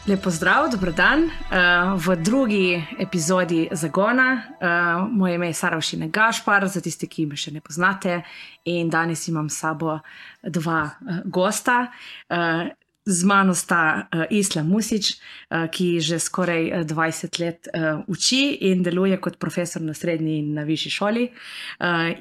Lepo zdrav, dobrodan v drugi epizodi Zagona. Moje ime je Saravšine Gašpar, za tiste, ki me še ne poznate. In danes imam s sabo dva gosta. Z mano sta Islam Musić, ki že skoraj 20 let uči in deluje kot profesor na srednji in na višji šoli.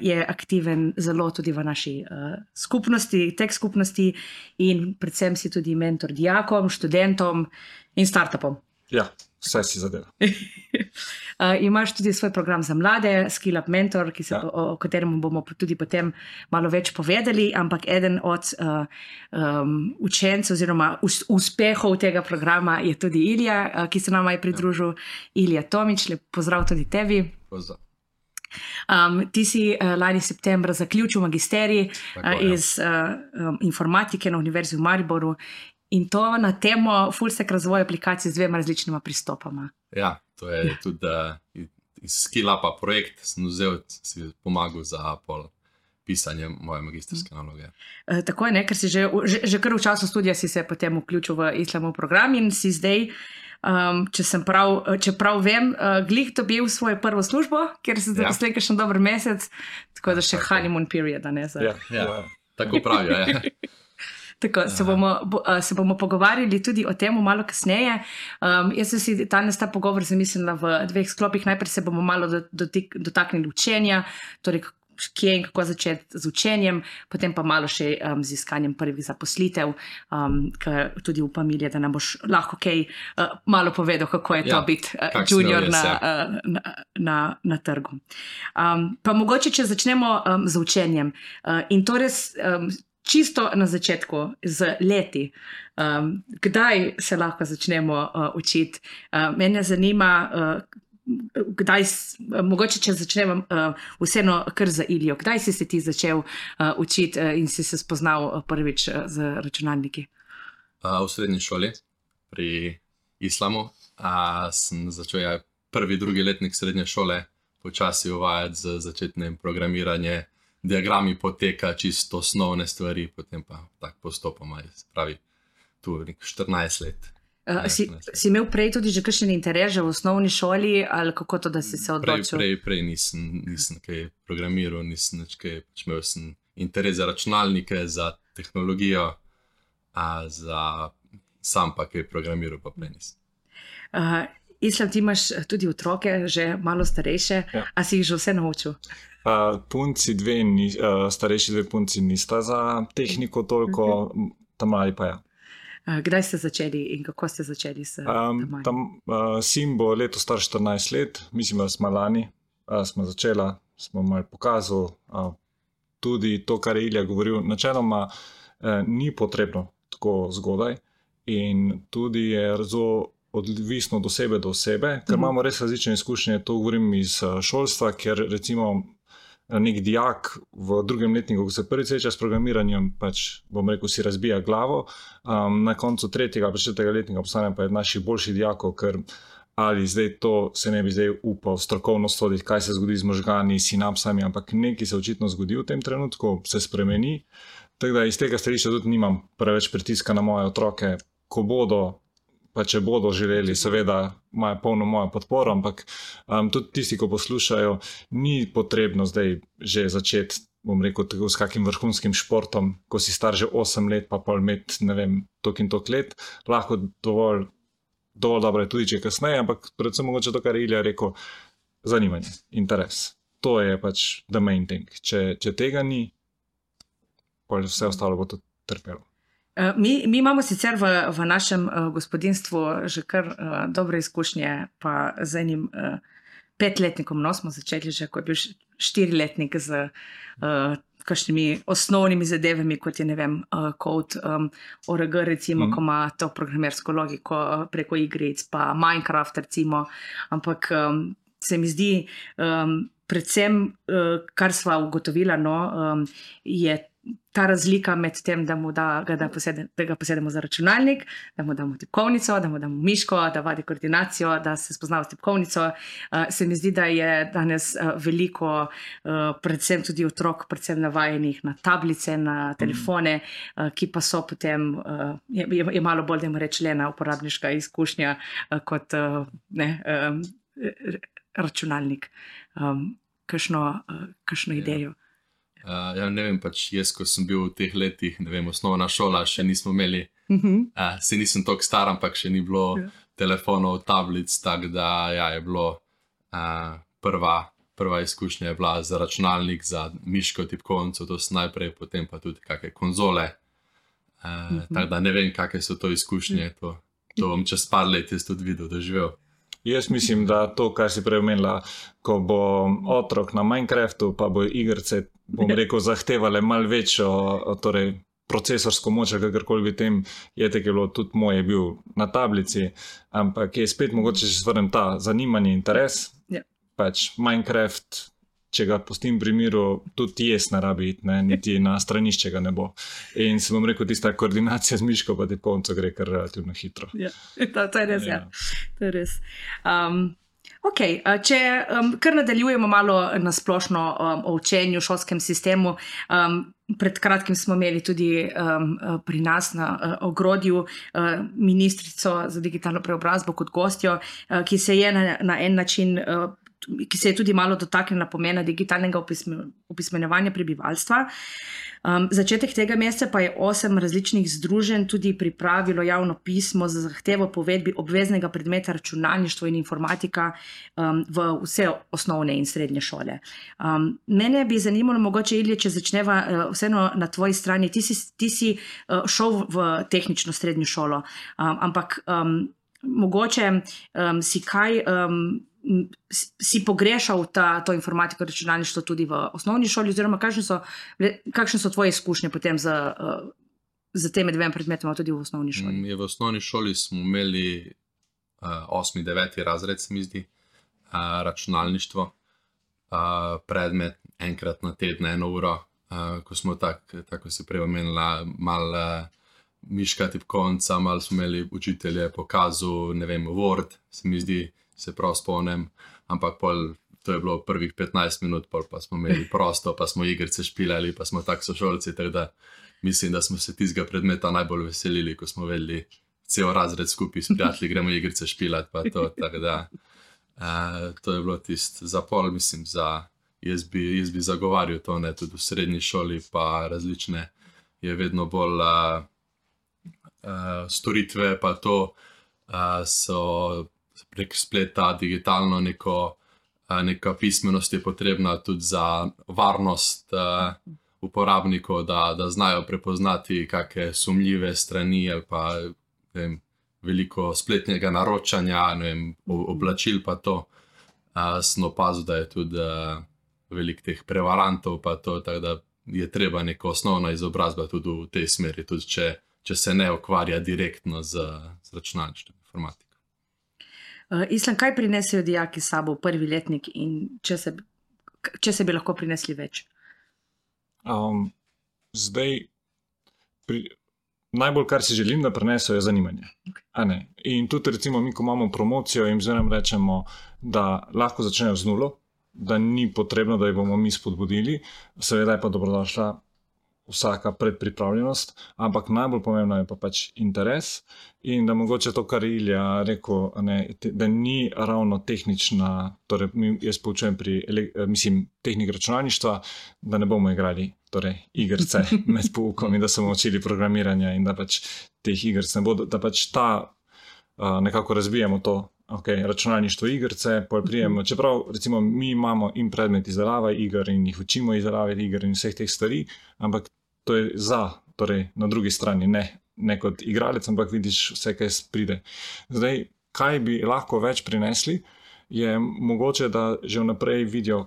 Je aktiven zelo tudi v naši skupnosti, tech skupnosti in predvsem si tudi mentor dijakom, študentom in startupom. Ja, vse si zadeva. Imaš tudi svoj program za mlade, Skill Up Mentor, o katerem bomo tudi potem malo več povedali, ampak eden od učencev oziroma uspehov tega programa je tudi Ilija, ki se nama je pridružil. Ilija Tomić, lep pozdrav tudi tebi. Pozdrav. Ti si lani septembra zaključil magisterij iz informatike na Univerzi v Mariboru. In to na temo full stack razvoja aplikacij z dvema različnima pristopama. Ja, to je tudi iz Skill Upa projekt, sem vzel, si pomagal za pisanje moje magisterske naloge. Tako je, ne, ker si že kar v času študija si se potem vključil v Islamov program in si zdaj, če prav vem, glih dobil svojo prvo službo, ker si zaposlen kakšen dober mesec, tako da še honeymoon period, ne? Ja, tako pravijo, ja. Tako, se bomo pogovarjali tudi o tem malo kasneje. Jaz sem si danes ta pogovor zamislila v dveh sklopih. Najprej se bomo malo dotaknili učenja, torej kje in kako začeti z učenjem, potem pa malo še z iskanjem prvih zaposlitev, ker tudi upam, Ilija, da nam boš lahko kaj malo povedal, kako je to biti junior na trgu. Pa mogoče, če začnemo z učenjem. In to res čisto na začetku, z leti, kdaj se lahko začnemo učiti. Mene zanima, mogoče če začnemo vseeno kar za Ilijo, kdaj si se ti začel učiti in si se spoznal prvič z računalniki? V srednji šoli pri Islamu sem začel prvi, drugi letnik srednje šole počasi uvajati z začetnim programiranjem. Diagrami poteka čisto osnovne stvari, potem pa tak postopoma, pravi, tu 14 let. Si imel prej tudi že kakšen interes v osnovni šoli, ali kako to, da si se odločil? Prej nisem kaj programiral, nisem nič kaj, imel sem interes za računalnike, za tehnologijo, sam pa kaj programiral, pa prej nisem. Islam, ti imaš tudi otroke, že malo starejše, a si jih že vse naučil? Starejši dve punci nista za tehniko toliko, tam mali pa ja. Kdaj ste začeli in kako ste začeli s tam? Sin bo leto star 14 let, mislim, da smo lani, smo začela, smo malo pokazali, tudi to, kar je Ilija govoril, načeloma ni potrebno tako zgodaj in tudi je zelo odvisno od osebe do osebe, ker imamo res različne izkušnje, to govorim iz šolstva, ker recimo nek dijak v drugem letniku, ko se prvi sreča s programiranjem, pač bom rekel, si razbija glavo, na koncu tretjega, četrtega letnika postane pa je naših boljših dijakov, ker ali zdaj to se ne bi zdaj upal strokovno soditi, kaj se zgodi z možgani, sinapsami, ampak nekaj se očitno zgodi v tem trenutku, se spremeni, tako da iz tega stališča tudi nimam preveč pritiska na moje otroke, ko bodo, pa če bodo želeli, seveda imajo polno mojo podporo, ampak tudi tisti, ko poslušajo, ni potrebno zdaj že začeti, bom rekel, tako s kakim vrhunskim športom, ko si star že 8 let, pa pol imeti, ne vem, toliko in toliko let, lahko dovolj dobro je tudi, če kasneje, ampak predvsem mogoče to, kar je Ilija rekel, zanimanje, interes. To je pač the main thing. Če tega ni, pol vse ostalo bo tudi trpelo. Mi imamo sicer v našem gospodinstvu že kar dobre izkušnje, pa z enim 5-letnikom, smo začeli že, ko je bil 4-letnik z kakšnimi osnovnimi zadevami, kot je, ne vem, kod ORG, recimo, ko ima to programersko logiko preko igric, pa Minecraft, recimo, ampak se mi zdi, predvsem, kar sva ugotovila, je ta razlika med tem, da ga posedemo za računalnik, da mu damo tipkovnico, da mu damo miško, da vadi koordinacijo, da se spozna s tipkovnico. Se mi zdi, da je danes veliko, predvsem tudi otrok, predvsem navajenih na tablice, na telefone, ki pa so potem, je malo bolj, da jim reči, le na uporabniška izkušnja kot računalnik. Kakšno idejo? Ja, ne vem, pač jaz, ko sem bil v teh letih, ne vem, osnovna šola, še nismo imeli, se nisem toliko star, ampak še ni bilo telefonov, tablic, tako da je bilo prva izkušnja je bila za računalnik, za miško, tipkovnico, to sem najprej, potem pa tudi kakšne konzole, tako da ne vem, kakšne so to izkušnje, to bom čez par let jaz tudi videl, doživel. Jaz mislim, da to, kar si prej omenila, ko bo otrok na Minecraftu, pa bo igrice, bom rekel, zahtevale malo večjo, torej procesorsko moč, kakorkoli bi tem, je bilo tudi moje bil na tablici, ampak je spet mogoče, če se vrnem ta zanimanje, interes, pač Minecraft, če ga pustim pri miru, tudi jaz ne rabi iti, niti na stranišče ga ne bo. In se bom rekel, tista koordinacija z miško pa tipkovnico gre kar relativno hitro. Ja, to je res, to je res. Ok, če kar nadaljujemo malo na splošno o učenju v šolskem sistemu, pred kratkim smo imeli tudi pri nas na Ogrodju ministrico za digitalno preobrazbo kot gostjo, ki se je na en način ki se je tudi malo dotaknila pomena digitalnega opismenjevanja prebivalstva. Začetek tega meseca pa je 8 različnih združenj tudi pripravilo javno pismo za zahtevo po uvedbi obveznega predmeta računalništvo in informatika v vse osnovne in srednje šole. Mene bi zanimalo, mogoče Ilija, če začneva vseeno na tvoji strani, ti si šel v tehnično srednjo šolo, ampak mogoče si kaj si pogrešal to informatiko, računalništvo tudi v osnovni šoli, oziroma kakšne so tvoje izkušnje potem z temi dvema predmetoma tudi v osnovni šoli? V osnovni šoli smo imeli 8. 9. razred, se mi zdi, računalništvo, predmet enkrat na teden, 1 uro, ko smo tako si prej omenila, malo miška, tipkovnica, malo smo imeli učitelje pokazal, ne vem, Word, se mi zdi, se prav spomnim, ampak to je bilo prvih 15 minut, pa smo imeli prosto, pa smo igrice špilali, pa smo tak sošolci, tako da mislim, da smo se tistega predmeta najbolj veselili, ko smo vedeli cel razred skupaj s prijatelji, gremo igrice špilati, pa to, tako da to je bilo tisto za pol, mislim, jaz bi zagovarjal to, ne, tudi v srednji šoli, pa različne, je vedno bolj storitve, pa to so prek spleta, digitalno neka pismenost je potrebna tudi za varnost uporabnikov, da znajo prepoznati kakšne sumljive strani ali pa veliko spletnega naročanja, oblačil pa to. Sem opazil, da je tudi veliko teh prevarantov pa to, tako da je treba neka osnovna izobrazba tudi v tej smeri, tudi če se ne ukvarja direktno z računalništvom, informatiko. Islam, kaj prinesejo dijaki s sabo v prvi letnik in če se bi lahko prinesli več? Zdaj, najbolj, kar si želim, da prinesejo, je zanimanje. Okay. In tudi, recimo, mi, ko imamo promocijo, jim zmeraj rečemo, da lahko začnejo z nulo, da ni potrebno, da jih bomo mi spodbudili, seveda je pa dobrodošla vsaka predpripravljenost, ampak najbolj pomembno je pa pač interes in da mogoče to, kar Ilija rekel, da ni ravno tehnična, torej jaz poučujem tehnik računalništva, da ne bomo igrali igrice med poukom in da se bomo učili programiranja in da pač teh igric ne bo, da pač nekako razbijemo to, računalništvo igrice, čeprav recimo mi imamo in predmet izdelave iger in jih učimo izdelave iger in vseh teh stvari, ampak to je torej na drugi strani, ne kot igralec, ampak vidiš vse, kaj pride. Zdaj, kaj bi lahko več prinesli, je mogoče, da že vnaprej vidijo,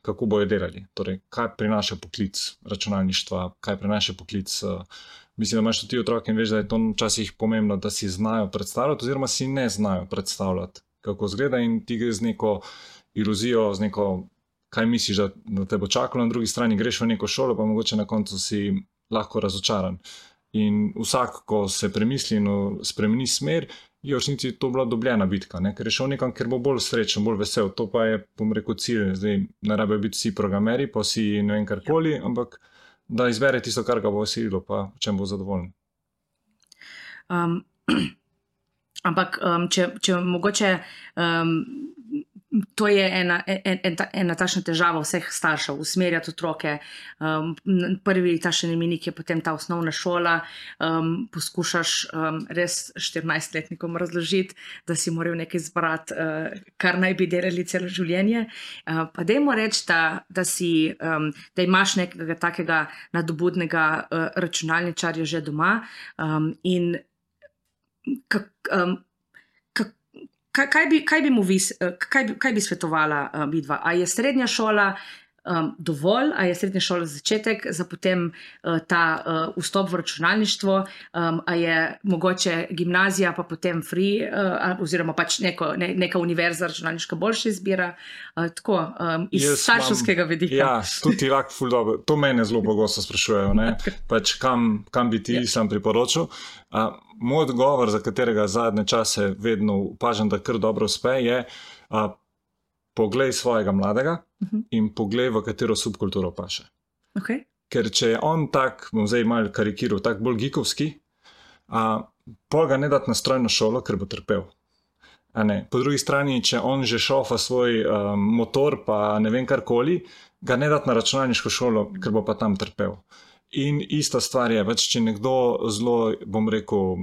kako bojo delali, torej kaj prinaša poklic računalništva, kaj prinaša poklic. Mislim, da imaš tudi otroke in veš, da je to včasih pomembno, da si znajo predstavljati oziroma si ne znajo predstavljati, kako izgleda in ti gre z neko iluzijo, z neko kaj misliš, da te bo čakalo na drugi strani, greš v neko šolo, pa mogoče na koncu si lahko razočaran. In vsak, ko se premisli in spremeni smer, je v resnici to bila dobljena bitka, ne? Ker je šel nekam, ker bo bolj srečen, bolj vesel. To pa je, bom rekel, cilj. Zdaj, ne rabijo biti vsi programeri, pa vsi ne vem karkoli, ampak da izbere tisto, kar ga bo veselilo, pa v čem bo zadovoljen. Ampak, če mogoče, to je ena takšna težava vseh staršev, usmerjati otroke. Prvi takšen imenik je potem ta osnovna šola. Poskušaš res 14-letnikom razložiti, da si moral nekaj izbrati, kar naj bi delali celo življenje. Pa dajmo reči, da imaš nekega takega nadobudnega računalničarja že doma in kaj bi svetovala vidva? A je srednja šola dovolj, a je srednja šola začetek za potem ta vstop v računalništvo, a je mogoče gimnazija pa potem free, oziroma pač neka univerza računalniška boljša izbira, tako, iz starševskega vidika. Ja, tudi lak ful dobro. To mene zelo pogosto sprašujejo, ne? Pač kam bi ti sam priporočil. Moj odgovor, za katerega zadnje čase vedno opažam, da kar dobro uspe, je poglej svojega mladega in poglej, v katero subkulturo paše. Okay. Ker če je on tak, bom zdaj malo karikiral, tak bolj geekovski, pol ga ne dati na strojno šolo, ker bo trpel. Po drugi strani, če on že šofa svoj motor, pa ne vem karkoli, ga ne dati na računalniško šolo, ker bo pa tam trpel. In ista stvar je, več če nekdo zelo, bom rekel,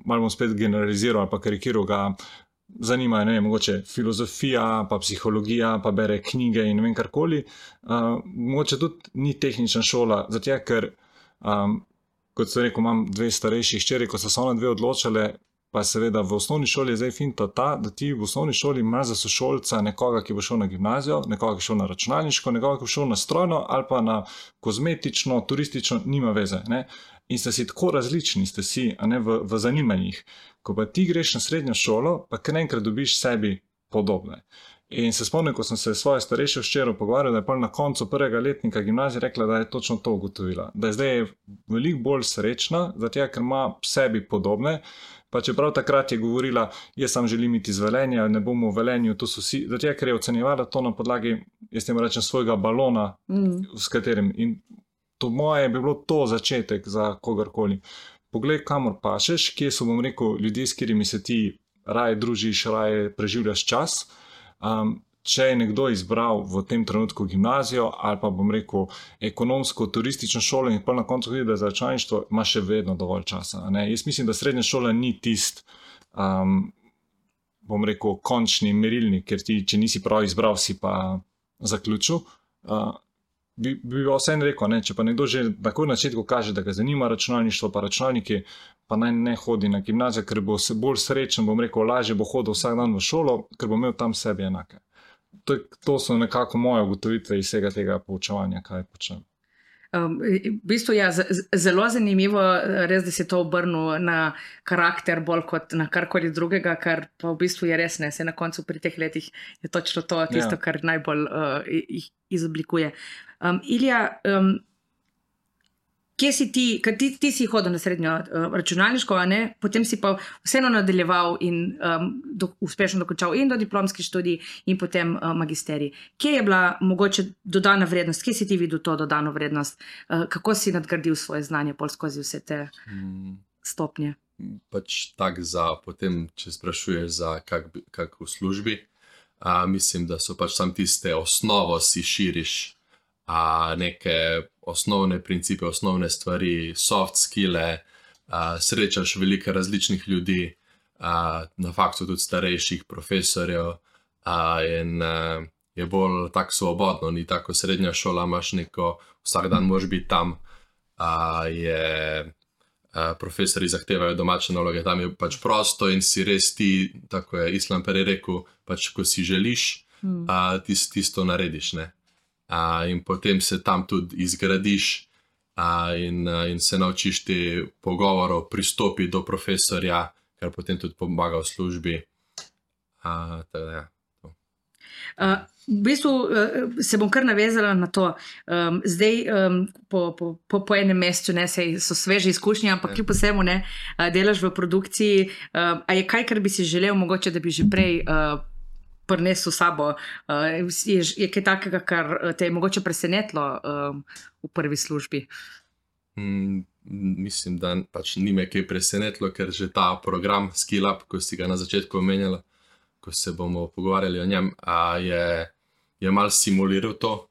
malo bom spet generaliziral ali pa karikiral, ga zanima, ne vem, mogoče filozofija, pa psihologija, pa bere knjige in ne vem karkoli. Mogoče tudi ni tehnična šola, zato ker, kot sem rekel, imam 2 starejši hčeri, ko so se one 2 odločale, pa seveda v osnovni šoli je zdaj finta ta, da ti v osnovni šoli imaš za sošolca nekoga, ki bo šel na gimnazijo, nekoga, ki bo šel na računalniško, nekoga, ki bo šel na strojno ali pa na kozmetično, turistično, nima veze, ne. In ste si tako različni, ste si, a ne, v zanimanjih. Ko pa ti greš na srednjo šolo, pa kar enkrat dobiš sebi podobne. In se spomnim, ko sem se s svojo starejšo hčerjo pogovarjal, da je pa na koncu prvega letnika gimnazije rekla, da je točno to ugotovila. Da je zdaj veliko bolj srečna, zato ker ima sebi podobne, pa čeprav takrat je govorila, jaz sam želim iti z Velenja, ne bomo v Velenju, to so vsi, zato ker je ocenjevala to na podlagi, jaz temu rečem, svojega balona, s katerim. In to moje bi bilo to začetek za kogarkoli. Poglej, kamor pašeš, kje so, bom rekel, ljudje, s katerimi se ti raje družiš, raje preživljaš čas. Če je nekdo izbral v tem trenutku gimnazijo ali pa, bom rekel, ekonomsko, turistično šolo in pa na koncu vidi, da za računalništvo ima še vedno dovolj časa. Ne? Jaz mislim, da srednja šola ni tist, bom rekel, končni merilnik, ker ti, če nisi prav izbral, si pa zaključil. Bi vseeno rekel, ne? Če pa nekdo že takoj na začetku kaže, da ga zanima računalništvo pa računalniki, pa naj ne hodi na gimnazijo, ker bo se bolj srečen, bom rekel, lažje bo hodil vsak dan v šolo, ker bo imel tam sebi enake. To so nekako moje ugotovitve iz vsega tega poučevanja, kaj počnem. V bistvu je zelo zanimivo, res, da si to obrnil na karakter bolj kot na karkoli drugega, kar pa v bistvu je res, ne, se na koncu pri teh letih je točno to tisto, kar najbolj jih izoblikuje. Ilija, kje si ti, ker ti si hodil na srednjo računalniško, a ne? Potem si pa vseeno nadaljeval in uspešno dokončal in do diplomski študij in potem magisterij. Kje je bila mogoče dodana vrednost? Kje si ti videl to dodano vrednost? Kako si nadgradil svoje znanje pol skozi vse te stopnje? Pač tak potem, če sprašuješ za kak v službi, mislim, da so pač sam tiste osnovo si širiš, neke osnovne principe, osnovne stvari, soft skille, srečaš veliko različnih ljudi, na faktu tudi starejših profesorjev, in je bolj tako svobodno, ni tako srednja šola, imaš neko, vsak dan moraš biti tam, profesori zahtevajo domače naloge, tam je pač prosto in si res ti, tako je Islam prej rekel, pač ko si želiš, tisto narediš, ne. In potem se tam tudi izgradiš in se naučiš te pogovorov, pristopi do profesorja, kar potem tudi pomaga v službi. V bistvu se bom kar navezala na to. Zdaj, po enem mesecu, ne, so sveže izkušnje, ampak kljub vsemu ne, delaš v produkciji. A je kaj, kar bi si želel, mogoče, da bi že prej prinesel sabo? Je kaj takega, kar te je mogoče presenetilo v prvi službi? Mislim, da pač ni me kaj presenetilo, ker že ta program SkillUp, ko si ga na začetku omenjala, ko se bomo pogovarjali o njem, je malo simuliral to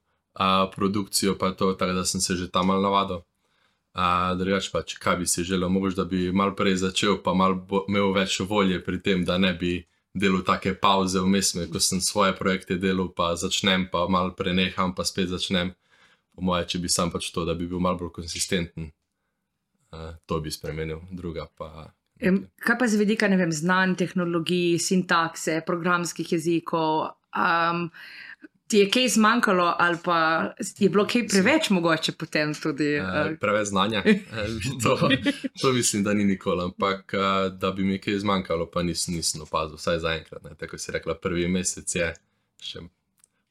produkcijo, pa to, tako da sem se že tam malo navadil. Drugače pač, kaj bi si želel, mogoče, da bi malo prej začel, pa malo imel več volje pri tem, da ne bi delal take pauze vmes, ko sem svoje projekte delal, pa začnem, pa malo preneham, pa spet začnem. Po moje, če bi sam pač to, da bi bil malo bolj konsistenten, to bi spremenil, druga pa... Kaj pa z vidika, ne vem, znanj, tehnologij, sintakse, programskih jezikov, ti je kaj zmanjkalo ali pa je bilo kaj preveč mogoče potem tudi? Preveč znanja, to mislim, da ni nikoli, ampak da bi mi kaj zmanjkalo, pa nisem opazil, vsaj zaenkrat. Tako si rekla, prvi mesec je še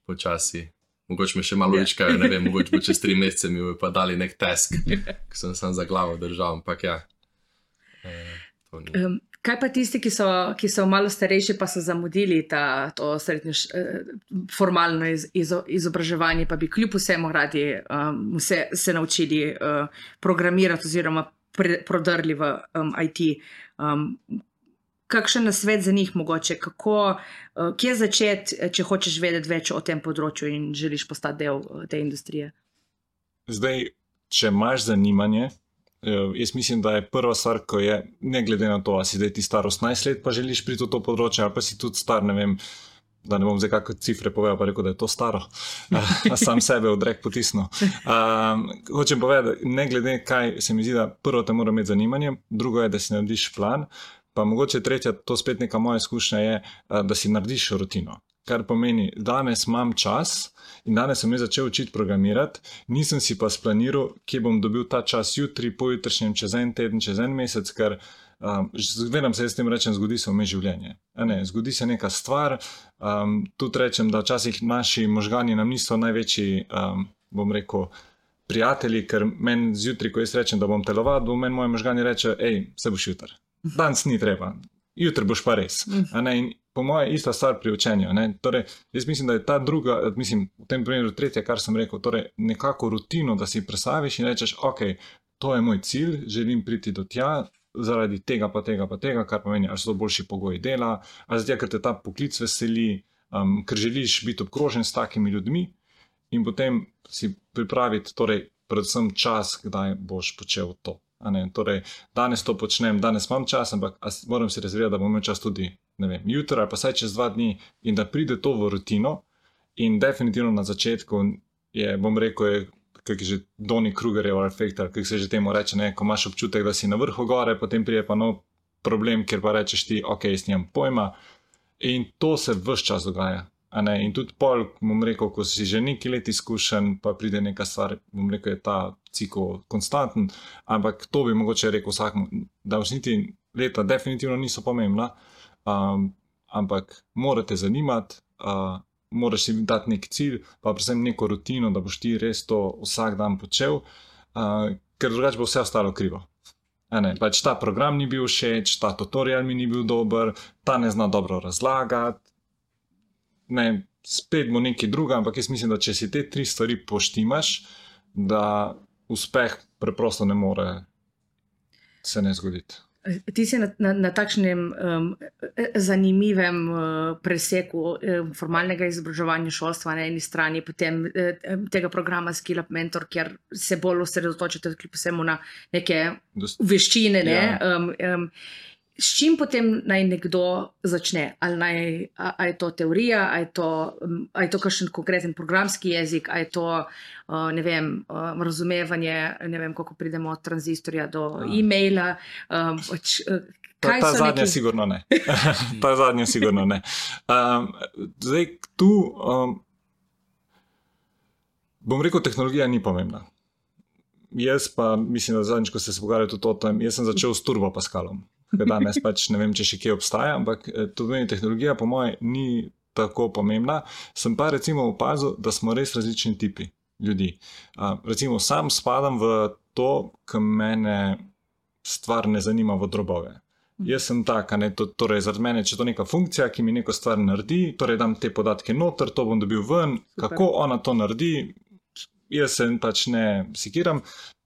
počasi, mogoče me še malo učkajo, ne vem, mogoče bo čez 3 mesece mi bo pa dali nek task, ko sem sam za glavo držal, ampak ja. Kaj pa tisti, ki so malo starejši, pa so zamudili to srednje formalno izobraževanje, pa bi kljub vsemu radi se naučili programirati oziroma prodrli v IT. Kakšen nasvet za njih mogoče? Kje začeti, če hočeš vedeti več o tem področju in želiš postati del te industrije? Zdaj, če imaš zanimanje, jaz mislim, da je prva stvar, ko je, ne glede na to, a si zdaj ti star 18 let, pa želiš priti v to področje, ali pa si tudi star, ne vem, da ne bom zdaj kakšne cifre povedal, pa rekel, da je to staro, a sam sebe v drek potisnil. Hočem povedati, ne glede kaj, se mi zdi, da prvo te mora imeti zanimanje, drugo je, da si narediš plan, pa mogoče tretja, to spet neka moja izkušnja je, da si narediš rutino. Kar pomeni, danes imam čas in danes sem začel učiti programirati, nisem si pa splaniral, kje bom dobil ta čas jutri, pojutrišnjem, čez en teden, čez en mesec, ker vedem se, jaz s tem rečem, zgodi se vmes življenje. Zgodi se neka stvar, tudi rečem, da včasih naši možgani nam niso največji, bom rekel, prijatelji, ker meni zjutri, ko jaz rečem, da bom telovadil, meni moji možgani reče, se boš jutri. Danes ni treba, jutri boš pa res. In po moje ista stvar pri učenju. Torej, jaz mislim, da je ta druga, v tem primeru tretja, kar sem rekel, torej nekako rutino, da si predstaviš in rečeš, ok, to je moj cilj, želim priti do tja, zaradi tega pa tega pa tega, kar pomeni, ali so to boljši pogoji dela, ali zato, ker te ta poklic veseli, ker želiš biti obkrožen s takimi ljudmi in potem si pripraviti, torej, predvsem čas, kdaj boš počel to. Torej, danes to počnem, danes imam čas, ampak moram si rezervirati, da bom imel čas tudi, ne vem, jutri ali pa saj čez 2 dni in da pride to v rutino in definitivno na začetku je, bom rekel, kak je že Donny Krugerjev efekt, kak se že temu reče, ko imaš občutek, da si na vrhu gore, potem prije pa nov problem, kjer pa rečeš ti, ok, jaz nimam pojma in to se ves čas dogaja. In tudi pol, bom rekel, ko si že nekaj let izkušen, pa pride neka stvar, bom rekel, je ta cikl konstanten, ampak to bi mogoče rekel vsakmu, da vsniti leta definitivno niso pomembna, ampak morate zanimati, moraš si dati nek cilj, pa predvsem neko rutino, da boš ti res to vsak dan počel, ker drugače bo vse ostalo krivo. Pač ta program ni bil všeč, ta tutorial mi ni bil dober, ta ne zna dobro razlagati, spet bo nekaj druga, ampak jaz mislim, da če si te 3 stvari poštimaš, da uspeh preprosto ne more se ne zgoditi. Ti si na takšnem zanimivem preseku formalnega izobraževanja šolstva na eni strani, potem tega programa SkillUp Mentor, kjer se bolj osredotočite kljub vsemu na neke veščine, S čim potem naj nekdo začne? Ali je to teorija, ali je to kakšen konkreten programski jezik, ali je to, ne vem, razumevanje, ne vem, kako pridemo od tranzistorja do e-maila. Ta zadnja sigurno ne. Ta zadnja sigurno ne. Zdaj, tu, bom rekel, tehnologija ni pomembna. Jaz pa, mislim, da zadnjič, ko ste se pogovarjali tudi o tem, jaz sem začel s Turbo Pascalom. Danes pač ne vem, če še kje obstaja, ampak to pomeni, tehnologija po moje ni tako pomembna. Sem pa recimo opazil, da smo res različni tipi ljudi. Recimo sam spadam v to, ki mene stvar ne zanima v drobove. Jaz sem tak, torej zaradi mene, če to neka funkcija, ki mi neko stvar naredi, torej dam te podatke noter, to bom dobil ven, kako ona to naredi, jaz se pač ne sikiram.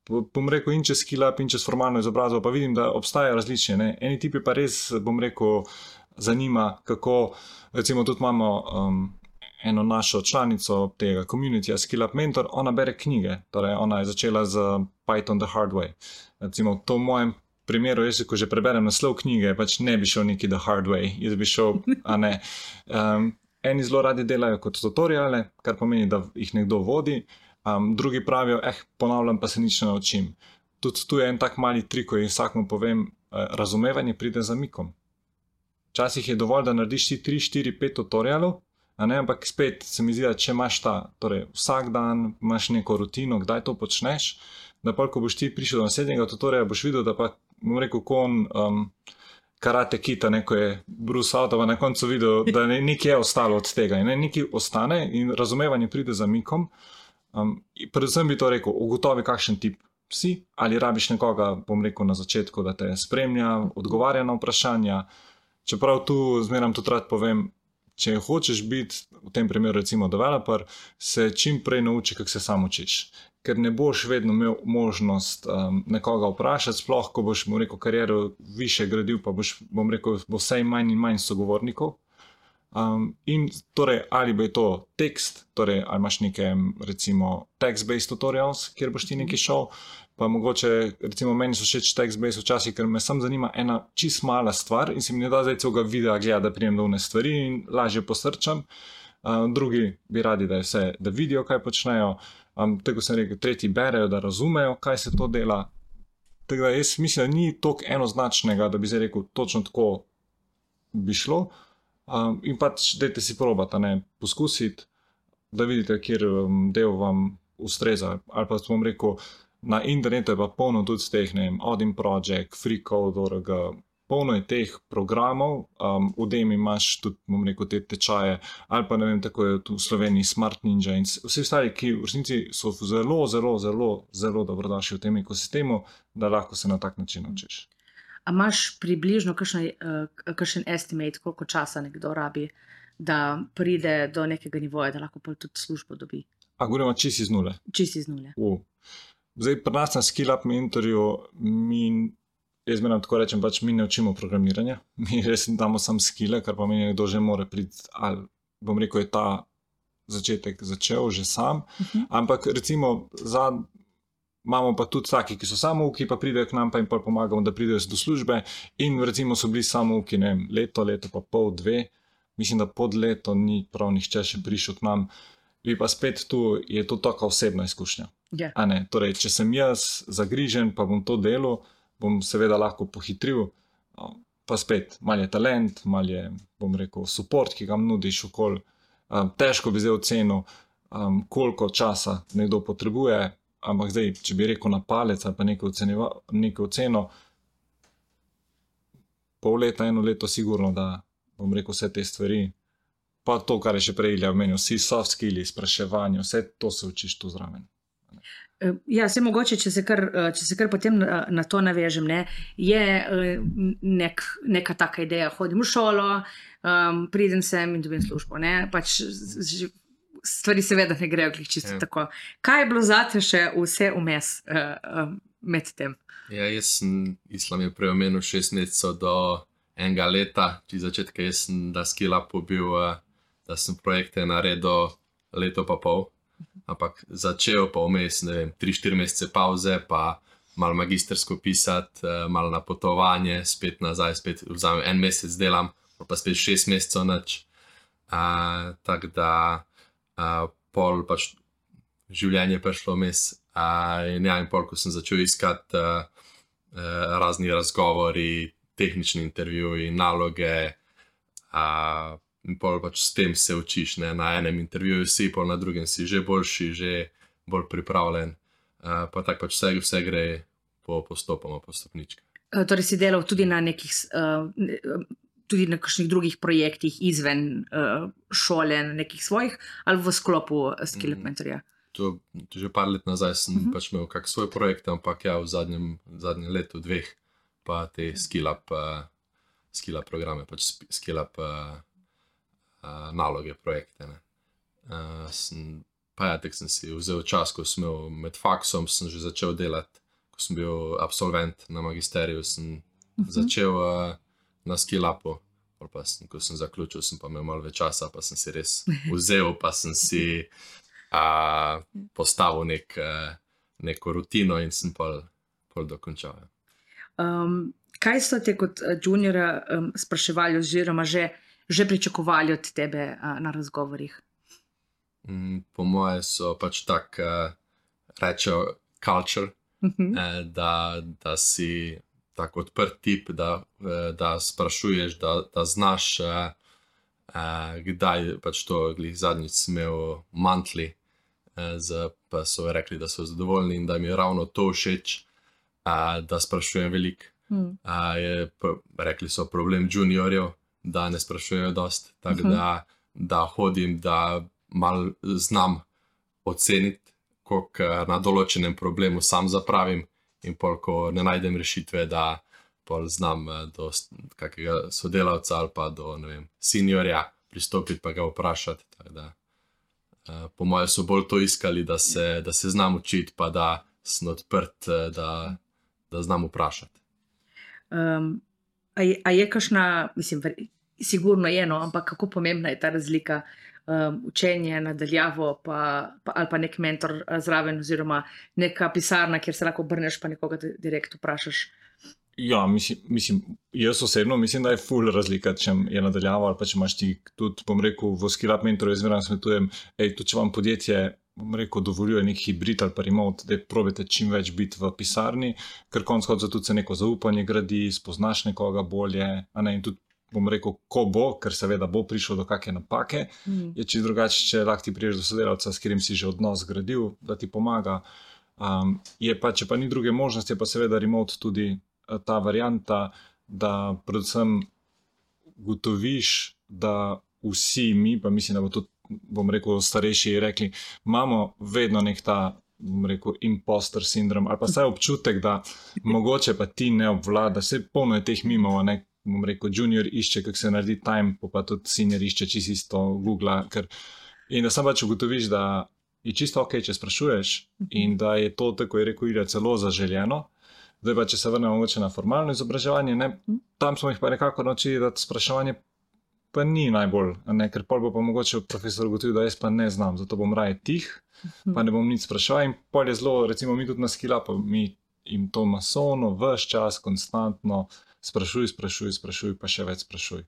Bom rekel, in čez skill up, in čez formalno izobrazbo, pa vidim, da obstajajo različne. Ne? Eni tipi pa res, bom rekel, zanima, kako, recimo tudi imamo eno našo članico tega communityja Skill Up Mentor, ona bere knjige, torej ona je začela z Python the Hard Way. Recimo to v mojem primeru, jaz ko že preberem naslov knjige, pač ne bi šel neki the hard way, jaz bi šel, a ne. Eni zelo radi delajo kot tutoriale, kar pomeni, da jih nekdo vodi, drugi pravijo, ponavljam pa se nič ne naučim. Tudi tu je en tak mali trik, ko jim vsakmu povem, razumevanje pride z zamikom. Včasih je dovolj, da narediš ti 3, 4, 5 tutorialov, ampak spet se mi zdi, da če imaš torej vsak dan imaš neko rutino, kdaj to počneš, da pa ko boš ti prišel do naslednjega tutoriala, boš videl, da pa, bom rekel, karate kita, neko je Bruce Outova na koncu videl, da nekaj je ostalo od tega in nekaj ostane in razumevanje pride z zamikom. Predvsem bi to rekel, ugotovi kakšen tip si, ali rabiš nekoga, bom rekel na začetku, da te spremlja, odgovarja na vprašanja. Čeprav tu zmeram tudi rad povem, če hočeš biti, v tem primeru recimo developer, se čim prej nauči, kako se sam učiš. Ker ne boš vedno imel možnost nekoga vprašati, sploh ko boš, bom rekel, kariero više gradil, pa boš, bom rekel, bo vsaj manj in manj sogovornikov. In torej, ali bo je to tekst, torej, ali imaš neke, recimo, text-based tutorials, kjer boš ti nekaj šel, pa mogoče, recimo, meni so všeč text-based včasih, ker me sam zanima ena čist mala stvar in se mi ne da zdaj celega videa gleda, da prijem do one stvari in lažje posrčam. Drugi bi radi, da vidijo, kaj počnejo. Tako sem rekel, tretji berejo, da razumejo, kaj se to dela. Tako da jaz mislim, da ni toliko enoznačnega, da bi zdaj rekel, točno tako bi šlo. In pač dajte si probati, poskusiti, da vidite, kjer del vam ustreza. Ali pa bom rekel, na internetu je pa polno tudi teh, Odin Project, FreeCode.org, polno je teh programov, v Udemy imaš tudi, bom rekel, te tečaje, ali pa ne vem, tako je tu v Sloveniji Smart Ninja in vsi ostali, ki v resnici so zelo, zelo, zelo, zelo dobrodošli v tem ekosistemu, da lahko se na tak način učiš. A imaš približno kakšen estimate, koliko časa nekdo rabi, da pride do nekega nivoja, da lahko tudi službo dobi? Govorimo čisto iz nule? Čisto iz nule. Zdaj, pri nas na Skill Up Mentorju jaz menim tako rečem, pač mi ne učimo programiranja, mi res damo sam skille, kar pomeni, kdo že mora priti, ali bom rekel, je ta začetek začel že sam, ampak recimo imamo pa tudi taki, ki so samouki, pa pridejo k nam pa jim pa pomagamo, da pridejo do službe in recimo so bili samouki, ne vem, leto pa pol, 2, mislim, da pod leto ni prav nihče še prišel k nam, bi pa spet tu je to taka osebna izkušnja. A ne, torej, če sem jaz zagrižen, pa bom to delal, bom seveda lahko pohitril, pa spet, malo je talent, malo je, bom rekel, support, ki ga nudiš okoli. Težko bi zdaj ocenil, koliko časa nekdo potrebuje, ampak zdaj, če bi rekel na palec ali pa neko oceno, pol leta, 1 leto sigurno, da bom rekel vse te stvari, pa to, kar je še prej Ilja omenil, vsi soft skilli, spraševanje, vse to se učiš tu zraven. Ja, se mogoče, če se kar potem na to navežem, je neka taka ideja, hodim v šolo, pridem sem in dobim službo, pač stvari seveda ne grejo čisto tako. Kaj je bilo zate še vse vmes med tem? Ja, jaz sem Islam je prej omenil 6 mesecev do 1 leta, či začetka jaz sem da Skill Upu bil, da sem projekte naredil leto pa pol. Ampak začel pa vmes, ne vem, 3-4 mesece pauze, pa malo magistersko pisati, malo na potovanje, spet nazaj, spet vzamem 1 mesec delam, pa spet 6 mesecev nič. Tako da pol pač življenje prišlo vmes. In pol, ko sem začel iskati razni razgovori, tehnični intervjuji, naloge, in pol pač s tem se učiš, na enem intervjuju si, pol na drugem si že boljši, že bolj pripravljen, pa tako pač vse gre postopoma, po stopničkah. Torej si delal tudi na nekih tudi na kakšnih drugih projektih izven šole, na nekih svojih, ali v sklopu Skill Up Mentorja? To že par let nazaj sem pač imel kak svoj projekt, ampak ja, v zadnjem letu, dveh, pa te Skill Up programe, pač Skill Up naloge, projekte, ne. Pa ja, tek sem si vzel čas, ko sem imel med faksom, sem že začel delati, ko sem bil absolvent na magisteriju, sem začel na Skill Upu, pa ko sem zaključil, sem pa imel malo več časa, pa sem si res vzel, pa sem si postavil neko rutino in sem pol dokončal. Kaj so te kot juniora spraševali oziroma že pričakovali od tebe na razgovorih? Po moje so pač tak, rečejo culture, da si tako odprt tip, da sprašuješ, da znaš, kdaj pač to glih zadnjič imel monthly, pa so rekli, da so zadovoljni in da mi je ravno to všeč, da sprašujem veliko. Rekli so problem juniorjev, da ne sprašujejo dost, tako da hodim, da malo znam oceniti, koliko na določenem problemu sam zapravim in pol, ko ne najdem rešitve, da pol znam do kakega sodelavca ali pa do, ne vem, seniorja pristopiti pa ga vprašati. Tako da, po moje so bolj to iskali, da se znam učiti, pa da sem odprt, da znam vprašati. A je kakšna, mislim, sigurno je, no, ampak kako pomembna je ta razlika učenje nadaljavo ali pa nek mentor zraven oziroma neka pisarna, kjer se lahko obrneš pa nekoga direkt vprašaš? Ja, mislim, jaz osebno mislim, da je ful razlika, če je nadaljavo ali pa če imaš ti tudi, bom rekel, v Skill Up Mentorju zmeraj svetujem, tudi če vam podjetje, bom rekel, dovoljuje nek hibrid ali pa remote, da probajte čim več biti v pisarni, ker konec koncev tudi se neko zaupanje gradi, spoznaš nekoga bolje, in tudi, bom rekel, ko bo, ker seveda bo prišlo do kakšne napake, je čisto drugače, če lahko ti priješ do sodelavca, s katerim si že odnos zgradil, da ti pomaga. Če pa ni druge možnosti, je pa seveda remote tudi ta varianta, da predvsem gotoviš, da vsi mi, pa mislim, da bo tudi, bom rekel, starejši rekli, imamo vedno nek ta, bom rekel, imposter sindrom, ali pa saj občutek, da mogoče pa ti ne obvlada, se polno je teh mimov, bom rekel, junior išče, kako se naredi time, pa tudi senior išče čisto isto Googla, in da sam pač ugotoviš, da je čisto ok, če sprašuješ in da je to, tako je rekel Ilja, celo zaželjeno. Zdaj pa, če se vrnemo mogoče na formalno izobraževanje, tam smo jih pa nekako naučili, da spraševanje pa ni najbolj, ker pol bo pa mogoče profesor ugotovil, da jaz pa ne znam, zato bom raje tih, pa ne bom nič spraševal in pol je zelo, recimo mi tudi na Skill Upu, mi jim to masovno, ves čas, konstantno sprašuj, pa še več sprašuj.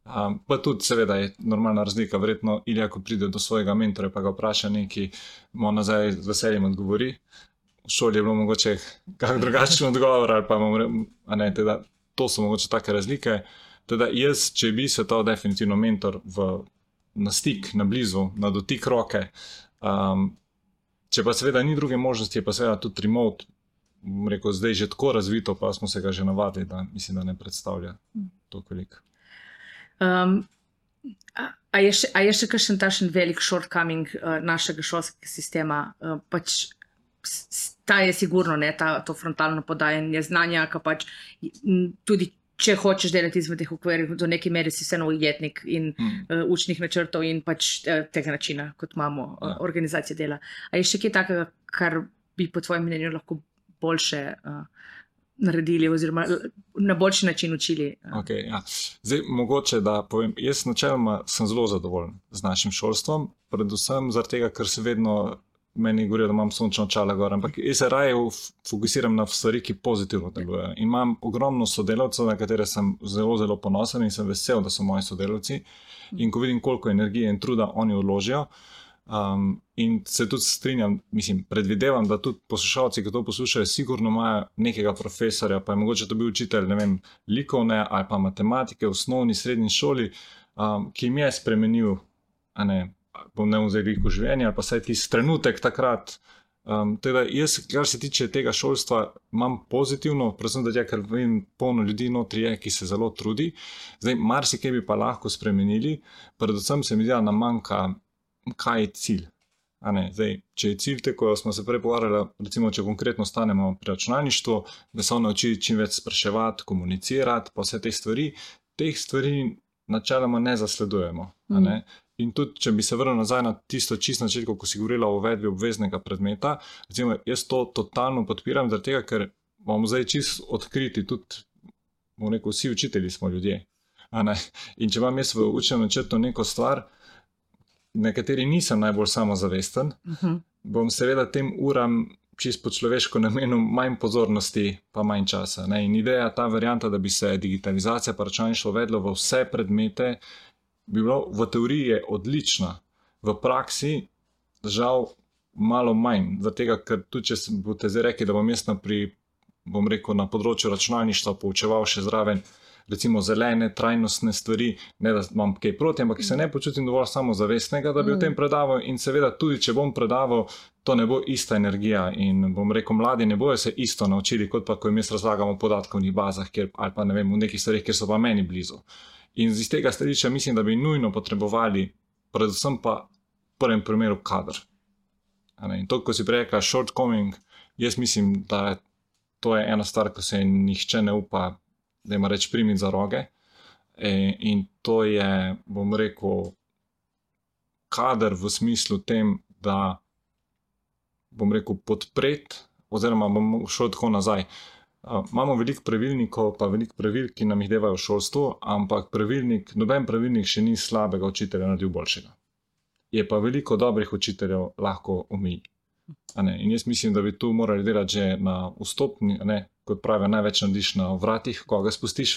Pa tudi seveda je normalna razlika, verjetno Ilja, ko pride do svojega mentorja, pa ga vpraša nekaj, mu nazaj z veseljem odgovori. V šoli je bilo mogoče kak drugačen odgovor, ali pa teda, to so mogoče take razlike. Teda jaz, če bi svetoval definitivno mentor na stik, na blizu, na dotik roke, če pa seveda ni druge možnosti, je pa seveda tudi remote, bom rekel, zdaj že tako razvito, pa smo se ga že navadili, da mislim, da ne predstavlja toliko veliko. A je še kakšen tašen velik shortcoming našega šolskega sistema? Pač ta je sigurno, to frontalno podajanje znanja, ki pač tudi če hočeš delati izmed teh okvirjev, do neke mere si vseeno ujetnik in učnih načrtov in pač tega načina, kot imamo organizacije dela. A je še kaj takega, kar bi po tvojem mnenju lahko boljše naredili oziroma na boljši način učili? Okay, ja. Zdaj, mogoče da povem, jaz načeloma sem zelo zadovoljen z našim šolstvom, predvsem zaradi tega, ker se vedno meni govorijo, da imam sončno očala gor, ampak jaz se raje fokusiram na stvari, ki pozitivno delujejo. In imam ogromno sodelavcev, na katere sem zelo, zelo ponosen in sem vesel, da so moji sodelavci. In ko vidim, koliko energije in truda oni vložijo, in se tudi strinjam, mislim, predvidevam, da tudi poslušalci, ki to poslušajo, sigurno imajo nekega profesorja, pa je mogoče to bil učitelj, ne vem, likovne ali pa matematike v osnovni, srednji šoli, ki jim je spremenil, bom ne vzeli v življenje, ali pa saj tisti trenutek takrat Teda jaz, kar se tiče tega šolstva, imam pozitivno, predvsem da ker vem, polno ljudi notri je, ki se zelo trudi. Zdaj, marsikaj bi pa lahko spremenili, predvsem se mi zdi, da nam manjka, kaj je cilj. Zdaj, če je cilj, ko smo se prej pogovarjali, recimo, če konkretno stanemo pri računalništvu, da se nauči čim več spraševati, komunicirati, pa vse teh stvari načeloma ne zasledujemo. In tudi, če bi se vrnil nazaj na tisto čisto načetko, ko si govorila o uvedbi obveznega predmeta, recimo, jaz to totalno podpiram, zaradi tega, ker bomo zdaj čisto odkriti, tudi, bomo rekel, vsi učitelji smo ljudje. In če imam jaz v učnem načrtu neko stvar, nekateri nisem najbolj samozavesten, bom seveda tem uram čisto po človeško namenil manj pozornosti pa manj časa. In ideja, ta varianta, da bi se digitalizacija pa računalništvo uvedlo v vse predmete, bi bilo v teoriji je odlična. V praksi žal malo manj, zaradi tega, ker tudi če boste zdaj rekli, da bom jaz bom rekel, na področju računalništva poučeval še zraven recimo zelene, trajnostne stvari, ne da imam kaj proti, ampak se ne počutim dovolj samozavestnega, da bi o tem predaval in seveda tudi, če bom predaval, to ne bo ista energija in bom rekel, mladi ne bojo se isto naučili, kot pa, ko jim jaz razlagam o podatkovnih bazah, ali pa ne vem, v nekih stvarih, kjer so pa meni blizu. In iz tega stališča mislim, da bi nujno potrebovali, predvsem pa v prvem primeru kader. In to, ko si prej rekla shortcoming, jaz mislim, da to je ena stvar, ko se nihče ne upa, da ima reč primiti za roge. In to je, bom rekel, kader v smislu tem, da bom rekel podpreti, oziroma bom šel tako nazaj. Imamo veliko pravilnikov, pa veliko pravil, ki nam jih devajo v šolstvu, ampak noben pravilnik še ni slabega učitelja naredil boljšega. Je pa veliko dobrih učiteljev lahko omeji. In jaz mislim, da bi tu morali delati že na vstopni, kot pravijo, največ narediš na vratih, koga spustiš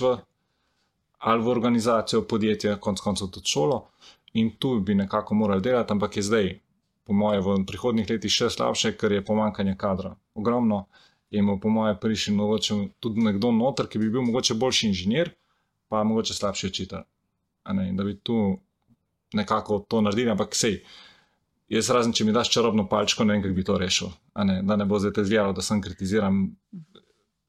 ali v organizacijo, podjetje, konec koncev tudi šolo, in tu bi nekako morali delati, ampak je zdaj, po moje, v prihodnjih letih še slabše, ker je pomanjkanje kadra ogromno. In po moje prišel mogoče tudi nekdo noter, ki bi bil mogoče boljši inženir, pa mogoče slabši učitelj. In da bi tu nekako to naredili, ampak sej, jaz razen, če mi daš čarobno palčko, ne vem, kako bi to rešil. Da ne bo zdaj te zgledalo, da sem kritiziram,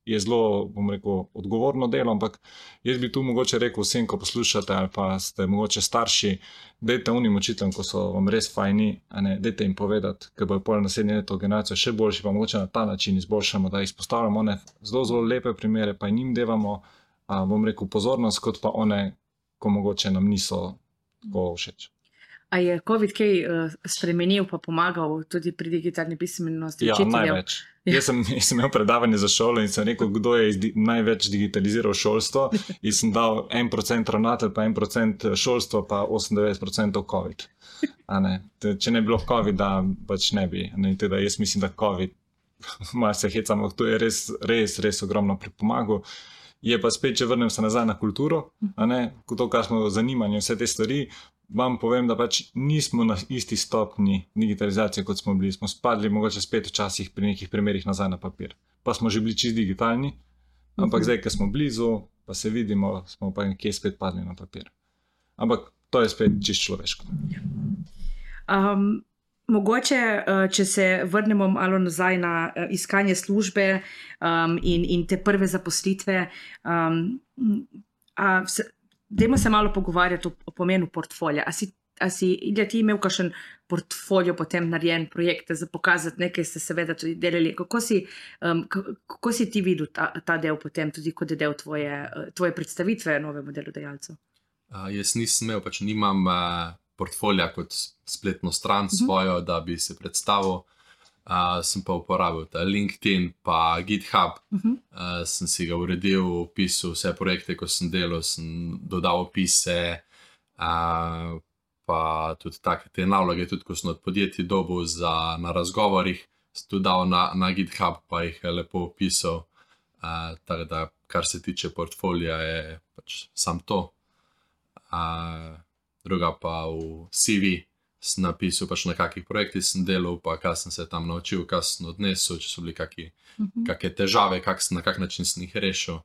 je zelo, bom rekel, odgovorno delo, ampak jaz bi tu mogoče rekel vsem, ko poslušate ali pa ste mogoče starši, dajte unim učiteljem, ko so vam res fajni, dajte jim povedati, ker bojo pol naslednje leto generacijo še boljši, pa mogoče na ta način izboljšamo, da izpostavljamo one zelo, zelo lepe primere, pa njim devamo, bom rekel, pozornost, kot pa one, ko mogoče nam niso tako všeč. A je COVID kaj spremenil pa pomagal tudi pri digitalni pismenosti učiteljev? Ja, največ. Jaz sem imel predavanje za šolo in sem rekel, kdo je največ digitaliziral šolstvo in sem dal 1% ravnatelj, pa 1% šolstvo, pa 98% COVID. Če ne bi bilo COVID-a, pač ne bi. Teda jaz mislim, da COVID, malo se hecam, to je res ogromno pripomagal. Je pa spet, če vrnem se nazaj na kulturo, to, kar smo zanimanje, vse te stvari, vam povem, da pač nismo na isti stopni digitalizacije, kot smo bili. Smo spadli mogoče spet včasih pri nekih primerih nazaj na papir. Pa smo že bili čisto digitalni, ampak zdaj, ker smo blizu, pa se vidimo, smo pa nekje spet padli na papir. Ampak to je spet čisto človeško. Mogoče, če se vrnemo malo nazaj na iskanje službe in te prve zaposlitve, dajmo se malo pogovarjati o pomenu portfolija. A si Ilja, ti imel kakšen portfolio potem narejen projekte za pokazati, nekaj ste seveda tudi delali. Kako si ti videl ta del potem, tudi kot je del tvoje predstavitve novemu delodajalcu? Jaz nisem imel, pač nimam portfolija kot spletno stran svojo, da bi se predstavil. Sem pa uporabil ta LinkedIn pa GitHub, sem si ga uredil, opisal vse projekte, ko sem delal, sem dodal opise, pa tudi take te naloge, tudi ko sem od podjetij dobil na razgovorih, sem tudi dal na GitHub, pa jih lepo opisal, tako da kar se tiče portfolija je pač sam to. Druga pa v CV sem napisal pač na kakih projektih sem delal, pa kaj sem se tam naučil, kaj sem odnesel, če so bili kakšne težave, na kak način sem jih rešil.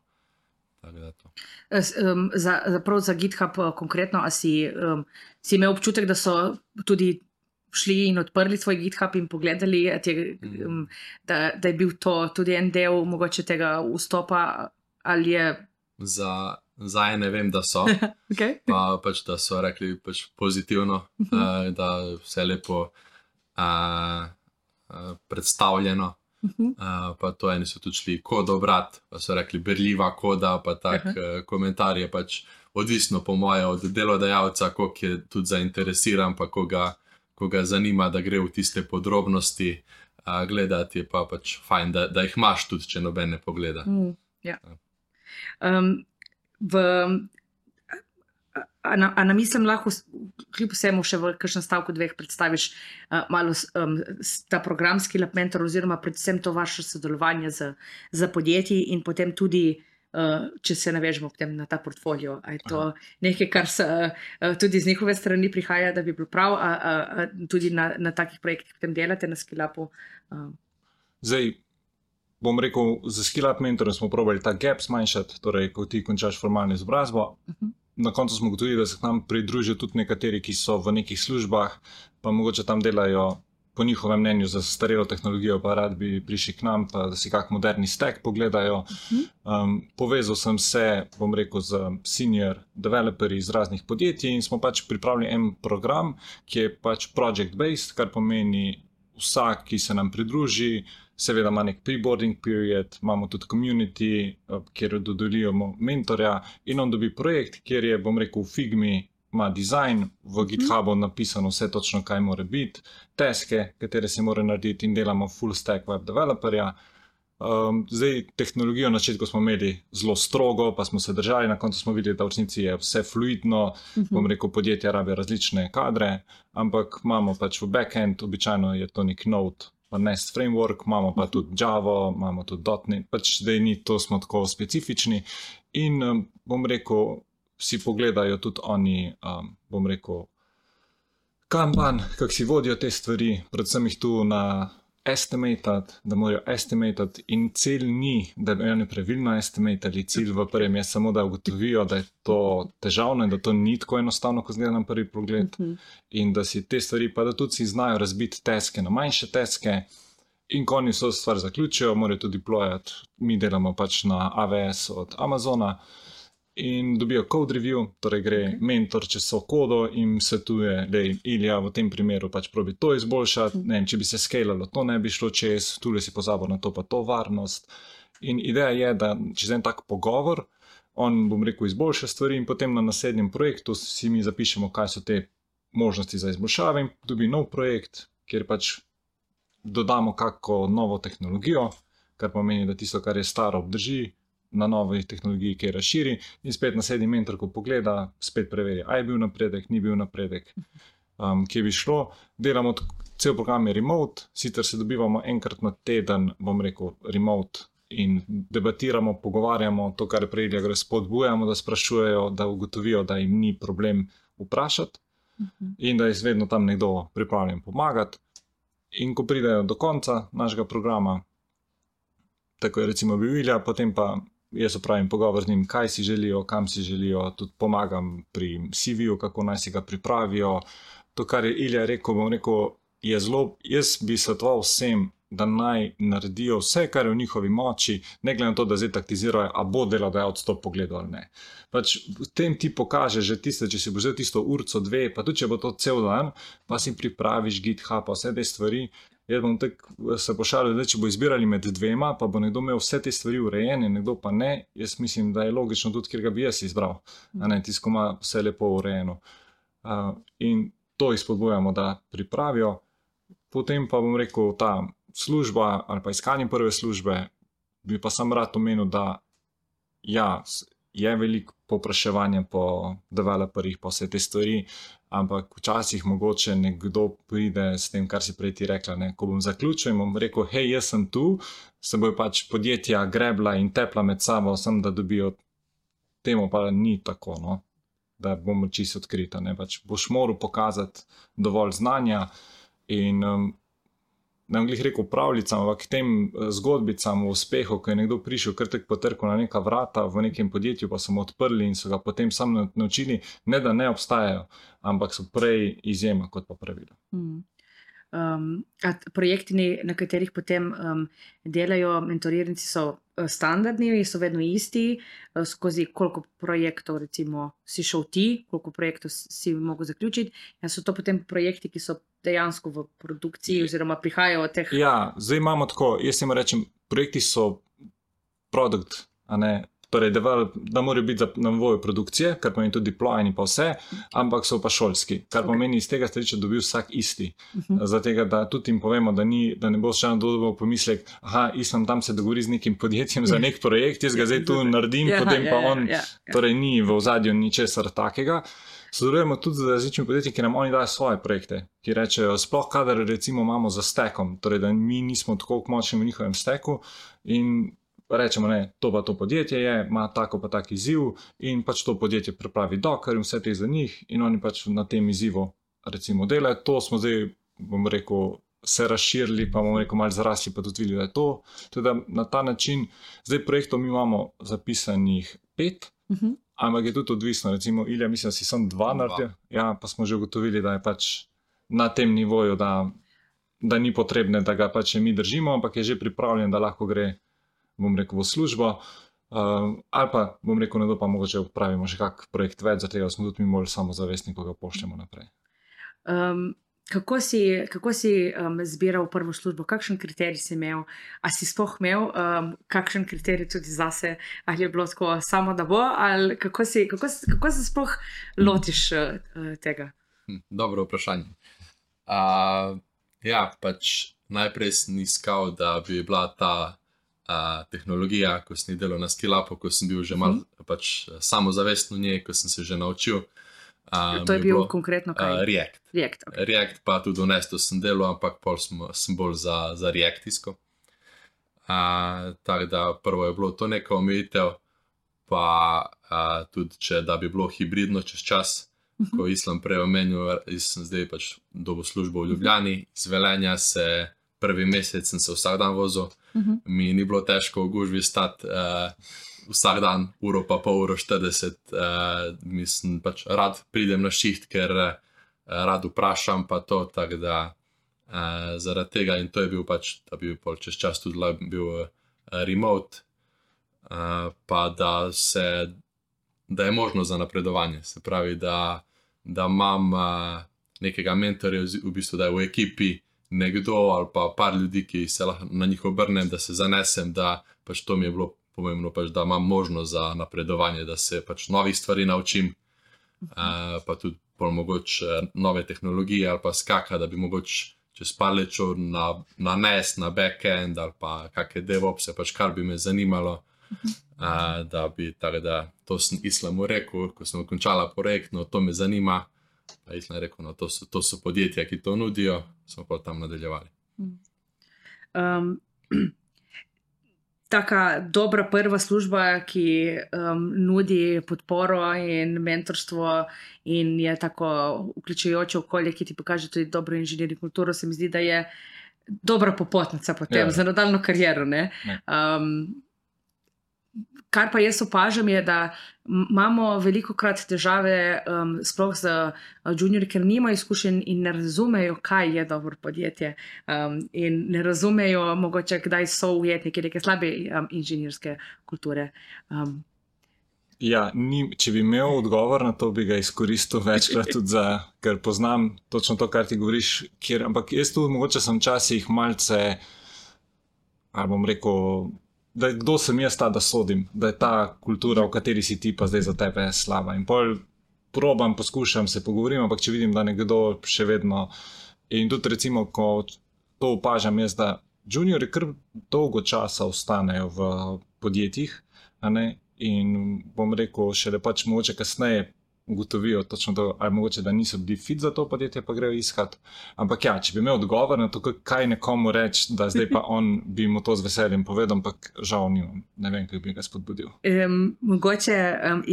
Prav za GitHub konkretno, a si imel občutek, da so tudi šli in odprli svoj GitHub in pogledali, da je bil to tudi en del mogoče tega vstopa, ali je... Za ne vem, da so, Okay. pa pač, da so rekli pač pozitivno, da vse lepo predstavljeno. Pa to eni so tudi šli kodo brat, pa so rekli berljiva koda, pa tak komentar je pač odvisno po moje od delodajalca, koliko je tudi zainteresiran, pa koga zanima, da gre v tiste podrobnosti gledati, je pa pač fajn, da jih imaš tudi, če noben ne pogleda. Ja. A na mislim lahko kljub vsemu še v kakšnem stavku dveh predstaviš malo ta programski mentor oziroma predvsem to vaše sodelovanje z podjetji in potem tudi, če se navežemo potem na ta portfolio, a je to nekaj, kar se tudi z njihove strani prihaja, da bi bilo prav, tudi na takih projektih potem delate na Skill-upu? Zdaj, bom rekel, za Skill-up mentorjem smo probali ta gap zmanjšati, torej, ko ti končaš formalno izobrazbo. Na koncu smo ugotovili, da se k nam pridružijo tudi nekateri, ki so v nekih službah, pa mogoče tam delajo po njihovem mnenju za starelo tehnologijo, pa rad bi prišli k nam, pa da si kak moderni stack pogledajo. Povezal sem se, bom rekel, z senior developerji iz raznih podjetij in smo pač pripravili en program, ki je pač project-based, kar pomeni vsak, ki se nam pridruži, seveda ima nek pre-boarding period, imamo tudi community, kjer dodeljujemo mentorja in on dobi projekt, kjer je, bom rekel, v Figmi ima dizajn, v GitHubu napisano vse točno, kaj mora biti, taske, katere se mora narediti in delamo full stack web developerja. Zdaj, tehnologijo na začetku smo imeli zelo strogo, pa smo se držali, na koncu smo videli, da v resnici je vse fluidno, bom rekel, podjetja rabijo različne kadre, ampak imamo pač v backend, običajno je to nek Node, pa Nest framework, imamo pa tudi Java, imamo tudi .NET, pač zdaj ni to, smo tako specifični in bom rekel, si pogledajo tudi oni, bom rekel, Kanban, kako si vodijo te stvari, predvsem jih tu na estimated, da morajo estimated in cilj ni, da bi oni pravilno estimatali, cilj v prvem je samo, da ugotovijo, da je to težavno in da to ni tako enostavno, ko zgleda na prvi pogled in da si te stvari, pa da tudi si znajo razbiti taske na manjše taske in ko oni so stvar zaključijo, morajo tudi deployati, mi delamo pač na AWS od Amazona in dobijo code review, torej gre mentor čez so kodo in svetuje, da Ilija v tem primeru pač probi to izboljšati, ne vem, če bi se skalalo, to ne bi šlo čez, tule si pozabil na to pa to varnost. In ideja je, da čez en tak pogovor, on, bom rekel, izboljša stvari in potem na naslednjem projektu si mi zapišemo, kaj so te možnosti za izboljšave in dobi nov projekt, kjer pač dodamo kako novo tehnologijo, kar pomeni, da tisto, kar je staro, obdrži na novi tehnologiji, ki je razširi in spet naslednji mentor, ko pogleda, spet preveri, a je bil napredek, ni bil napredek, kje bi šlo. Delamo, cel program je remote, sicer se dobivamo enkrat na teden, bom rekel, remote in debatiramo, pogovarjamo, to, kar je prej, da gre spodbujamo, da sprašujejo, da ugotovijo, da jim ni problem vprašati in da je vedno tam nekdo pripravljen pomagati. In ko pridejo do konca našega programa, tako je recimo bil Ilja, potem pa jaz opravim pogovor z njim, kaj si želijo, kam si želijo, tudi pomagam pri CV-ju, kako naj si ga pripravijo. To, kar je Ilja rekel, bom rekel, je zelo, jaz bi svetoval vsem, da naj naredijo vse, kar je v njihovi moči, ne glede na to, da zdaj taktizirajo, a bo delodajalec to pogledal ali ne. Pač v tem ti pokaže že tiste, če si bo vzel tisto urco, dve, pa tudi če bo to cel dan, pa si pripraviš GitHub, pa vse te stvari. Jaz bom tako se pošalil, da če bo izbirali med dvema, pa bo nekdo imel vse te stvari urejene, nekdo pa ne, jaz mislim, da je logično tudi, ker ga bi jaz izbral, a ne, tisto, ko ima vse lepo urejeno. In to jih spodbujamo, da pripravijo. Potem pa bom rekel, ta služba ali pa iskanje prve službe, bi pa sam rad omenil, da ja, je veliko povpraševanja po developerjih, pa vse te stvari, ampak včasih mogoče nekdo pride s tem, kar si prej ti rekla, ne? Ko bom zaključil in bom rekel, hej, jaz sem tu, se bojo pač podjetja grebla in tepla med sabo, sem da dobijo, temu pa ni tako, no? Da bomo čisto odkrita, ne? Pač boš moral pokazati dovolj znanja in ne bom glih rekel pravljicam, ampak tem zgodbicam v uspehu, ko je nekdo prišel kar tak potrkal na neka vrata v nekem podjetju, pa so mu odprli in so ga potem sam naučili, ne da ne obstajajo, ampak so prej izjema kot pa pravilo. projekti, na katerih potem delajo mentoriranci, so standardni, so vedno isti, skozi koliko projektov recimo si šel ti, koliko projektov si mogel zaključiti, so to potem projekti, ki so dejansko v produkciji oziroma prihajajo od teh. Ja, zdaj imamo tako, jaz jim rečem, projekti so produkt, a ne, torej da morajo biti na nivoju produkcije, kar pomeni tudi deploy in pa vse, ampak so pa šolski, kar pomeni iz tega stališča dobi vsak isti. Zato, da tudi jim povemo, da ne bo še dobil pomislek, Islam tam se dogovori z nekim podjetjem za nek projekt, jaz ga zdaj tu naredim, potem pa on, torej ni v ozadju ničesar takega. Sodelujemo tudi z različnimi podjetji, ki nam oni dajo svoje projekte, ki rečejo, sploh kadar recimo imamo za stekom, torej da mi nismo tako močni v njihovem steku in rečemo, ne, to pa to podjetje je, ima tako pa tak izziv in pač to podjetje pripravi dokler in vse te za njih in oni pač na tem izzivu recimo delajo. To smo zdaj, bom rekel, se razširili, pa bomo rekel, malo zarasli, pa tudi videli, da je to. Teda na ta način, zdaj projektov mi imamo zapisanih 5, ampak je tudi odvisno, recimo Ilja, mislim, da si sam 2 naredil, ja, pa smo že ugotovili, da je pač na tem nivoju, da ni potrebne, da ga pač mi držimo, ampak je že pripravljen, da lahko gre, bom rekel, v službo, ali pa, bom rekel, ne do pa mogoče upravimo še kak projekt več, zato smo tudi mi bolj samozavestni, ko ga pošljemo naprej. Kako si zbiral prvo službo? Kakšen kriterij si imel? A si sploh imel kakšen kriterij tudi zase? Ali je bilo tako samo, da bo? Ali kako se sploh lotiš tega? Dobro vprašanje. Ja, pač najprej sem iskal, da bi bila ta tehnologija, ko sem delal na Skillabu, ko sem bil že malo pač samozavesten v njej, ko sem se že naučil. To je bil konkretno kaj? React. Okay. React pa tudi v Nestu sem delal, ampak pol sem bolj za Reactisko. Tako da prvo je bilo to neka omejitev, pa tudi da bi bilo hibridno čez čas, ko Islam prej omenil, jaz sem zdaj pač dobil službo v Ljubljani, iz Velenja se prvi mesec sem se vsak dan vozil, mi ni bilo težko v gužvi stati vsak dan, uro pa pol, uro 40, mislim, pač rad pridem na šiht, ker rad vprašam pa to, tako da zaradi tega in to je bil pač, da bi pol čez čas tudi bil remote, pa da je možno za napredovanje, se pravi, da imam nekega mentorja, v bistvu, da je v ekipi nekdo ali pa par ljudi, ki se lahko na njih obrnem, da se zanesem, da pač to mi je bilo pomembno, pač, da imam možnost za napredovanje, da se pač novih stvari naučim, pa tudi mogoče nove tehnologije ali pa skaka, da bi mogoče čez par let šel na NES, na backend ali pa kakšne DevOpse, pač kar bi me zanimalo, da bi, tako da to sem Islamu rekel, ko sem končala projekt, no to me zanima, pa Islam rekel, no to so podjetja, ki to nudijo, smo pa tam nadaljevali. Taka dobra prva služba, ki nudi podporo in mentorstvo in je tako vključujoče okolje, ki ti pokaže tudi dobro inženirno kulturo, se mi zdi, da je dobra popotnica potem za nadaljno kariero, ne? Kar pa jaz opažam je, da imamo velikokrat težave sploh z juniorji, ker nimajo izkušenj in ne razumejo, kaj je dobro podjetje in ne razumejo mogoče, kdaj so ujetniki neke slabe inženirske kulture. Ja, če bi imel odgovor na to, bi ga izkoristil večkrat tudi ker poznam točno to, kar ti govoriš, ampak jaz tu mogoče sem včasih malce, ali bom rekel, da kdo sem jaz ta, da sodim, da je ta kultura, v kateri si ti pa zdaj za tebe slaba. In pol poskušam se pogovorim, ampak če vidim, da nekdo še vedno, in tudi recimo, ko to opažam jaz, da juniori kar dolgo časa ostanejo v podjetjih, a ne, in bom rekel, še da pač mogoče kasneje ugotovijo točno to, ali mogoče, da niso bili fit za to podjetje, pa grejo iskat. Ampak ja, če bi imel odgovor na to, kaj nekomu reči, da zdaj pa on bi mu to z veseljem povedal, ampak žal nimam. Ne vem, kaj bi ga spodbudil. Mogoče,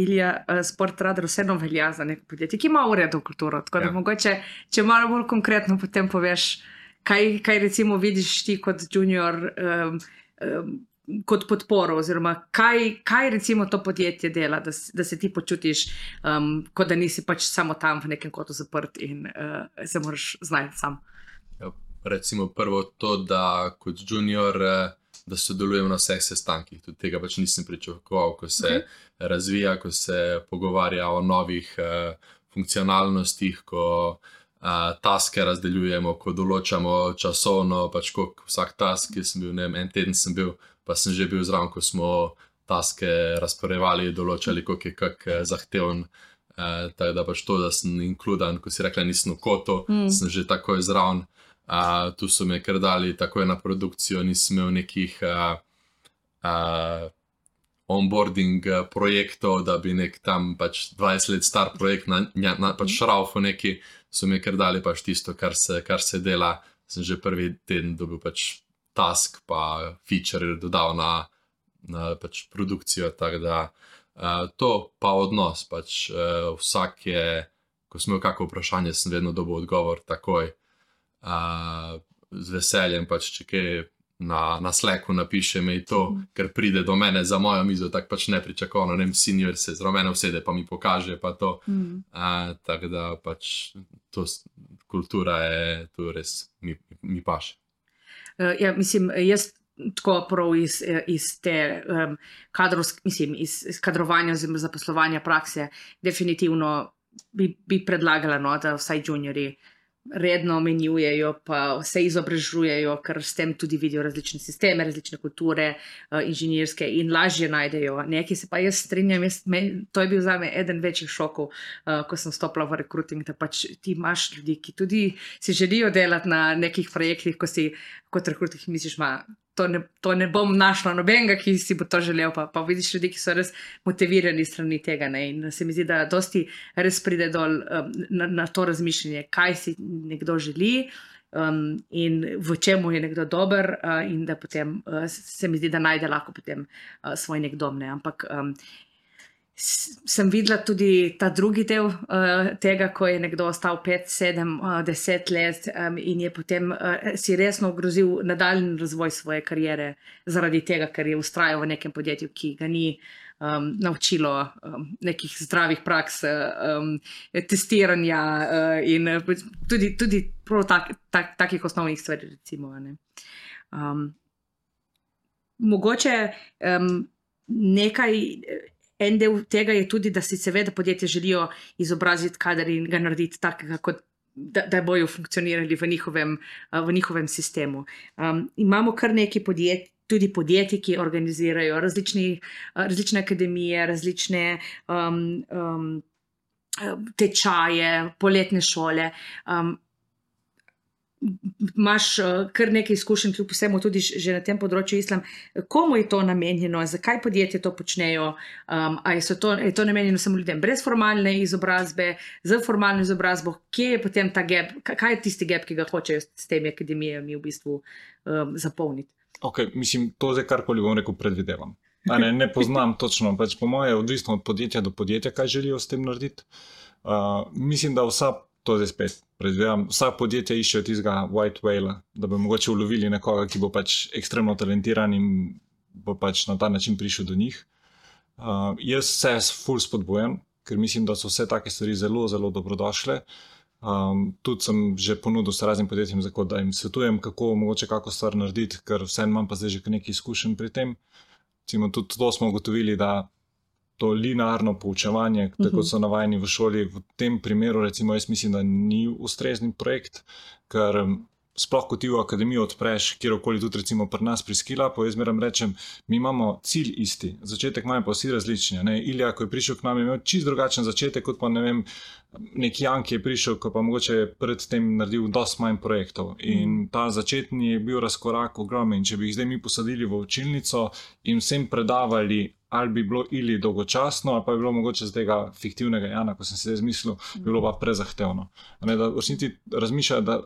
Ilja, Sportradar vseeno velja za neko podjetje, ki ima uredno kulturo, tako da mogoče, če malo bolj konkretno potem poveš, kaj recimo vidiš ti kot junior, kot podporo, oziroma kaj recimo to podjetje dela, da se ti počutiš, kot da nisi pač samo tam v nekem kotu zaprt in se moraš znajti sam. Ja, recimo prvo to, da kot junior, da sodelujem na vseh sestankih. Tudi tega pač nisem pričakoval, ko se razvija, ko se pogovarja o novih funkcionalnostih, ko taske razdeljujemo, ko določamo časovno, pač koliko vsak task, ki sem bil, ne vem, en teden sem bil, pa sem že bil zraven, ko smo taske razporejevali, določali, koliko je kak zahteven. Tako da pač to, da sem inkludan, ko si rekla, nisem v kotu, sem že takoj zraven. Tu so me kar dali takoj na produkcijo, nisem imel nekih onboarding projektov, da bi nek tam pač 20 let star projekt pač šraufo neki, so me kar dali pač tisto, kar se dela. Sem že prvi teden dobil pač task pa feature dodal na pač produkcijo, tako da to pa odnos, pač vsak je, ko sem imel kako vprašanje, sem vedno dobil odgovor takoj, z veseljem pač, če kaj na Slacku napiše mi to, ker pride do mene za mojo mizo, tako pač nepričakovano, ne vem, senior se zraven mene usede, pa mi pokaže pa to, tako da pač to kultura je, to res mi paše. Ja, mislim, jaz tako prav iz te iz kadrovanja oziroma zaposlovanja prakse definitivno bi predlagala, no, da vsaj juniori redno menjujejo, pa se izobražujejo, ker s tem tudi vidijo različne sisteme, različne kulture, inženirske in lažje najdejo. Nekaj se pa jaz strinjam, to je bil zame eden večjih šokov, ko sem stopila v recruiting, da pač ti imaš ljudi, ki tudi si želijo delati na nekih projektih, ko si kot recruiting misliš, to ne bom našla nobenega, ki si bo to želel, pa vidiš ljudi, ki so res motivirani strani tega, ne? In se mi zdi, da dosti res pride dol na to razmišljanje, kaj si nekdo želi in v čemu je nekdo dober, in da potem se mi zdi, da najde lahko potem svoj nek dom, ne? Ampak sem videla tudi ta drugi del tega, ko je nekdo ostal 5, 7, 10 let in je potem si resno ogrozil nadaljnji razvoj svoje kariere zaradi tega, ker je vztrajal v nekem podjetju, ki ga ni naučilo nekih zdravih praks, testiranja in tudi prav takih osnovnih stvari, recimo. Ne. Mogoče en del tega je tudi, da si seveda podjetje želijo izobraziti kader in ga narediti takega, kot da bojo funkcionirali v njihovem sistemu. Imamo kar nekaj tudi podjetij, ki organizirajo različne akademije, različne tečaje, poletne šole. Imaš kar nekaj izkušenj, kljub vsemu tudi že na tem področju, Islam. Komu je to namenjeno, zakaj podjetje to počnejo, je to namenjeno samo ljudem brez formalne izobrazbe, z formalno izobrazbo, kje je potem ta gap, kaj je tisti gap, ki ga hočejo s temi akademijami v bistvu zapolniti? Ok, mislim, to zdaj karkoli bom rekel predvidevam. Ne poznam točno, pač po moje je odvisno od podjetja do podjetja, kaj želijo s tem narediti. Mislim, da to zdaj spet predvidevam, vsa podjetja iščejo tistega white whale, da bi mogoče ulovili nekoga, ki bo pač ekstremno talentiran in bo pač na ta način prišel do njih. Jaz se ful spodbujam, ker mislim, da so vse take stvari zelo, zelo dobrodošle. Tudi sem že ponudil s raznim podjetjem, da jim svetujem, kako mogoče kako stvar narediti, ker vseeno imam pa zdaj že nekaj izkušenj pri tem. Recimo, tudi to smo ugotovili, da to linearno poučevanje, tako so navajeni v šoli, v tem primeru, recimo, jaz mislim, da ni ustrezni projekt, ker sploh kot ti v akademijo odpreš, kjerokoli tudi recimo pri nas pri Skillabu, jaz zmeraj rečem, mi imamo cilj isti, začetek imamo pa vsi različni. Ne? Ilija, ko je prišel k nam, je imel čisto drugačen začetek, kot pa ne vem, neki Jan, ki je prišel, ko pa mogoče pred tem naredil dosti manj projektov. In ta začetni je bil razkorak ogromen. Če bi jih zdaj mi posadili v učilnico in vsem predavali, ali bi bilo ili dolgočasno, ali pa bi bilo mogoče z tega fiktivnega Jana, ko sem se zdaj zmislil, bi bilo pa prezahtevno. Ne, da v resnici razmišljajo, da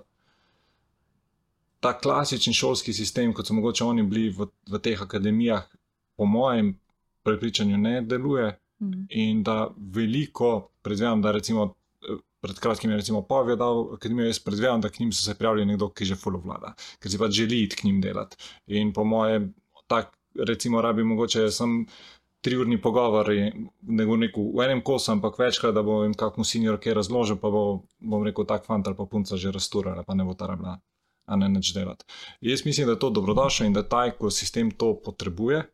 ta klasični šolski sistem, kot so mogoče oni bili v teh akademijah, po mojem prepričanju ne deluje in da veliko, predvidevam, da recimo pred kratkim je recimo Pavel dal akademijo, jaz predvidevam, da k njim so se prijavili nekdo, ki že ful vlada, ker si pač želi iti k njim delati. In po mojem, tak recimo rabi mogoče sem 3-urni pogovor, ne bom rekel v enem kosu, ampak večkrat, da bo jim kakmu senior kaj razložil, pa bom rekel tak fant ali pa punca že rasturala, pa ne bo ta rabila a ne nič delati. Jaz mislim, da je to dobrodošlo in da ta ekosistem to potrebuje.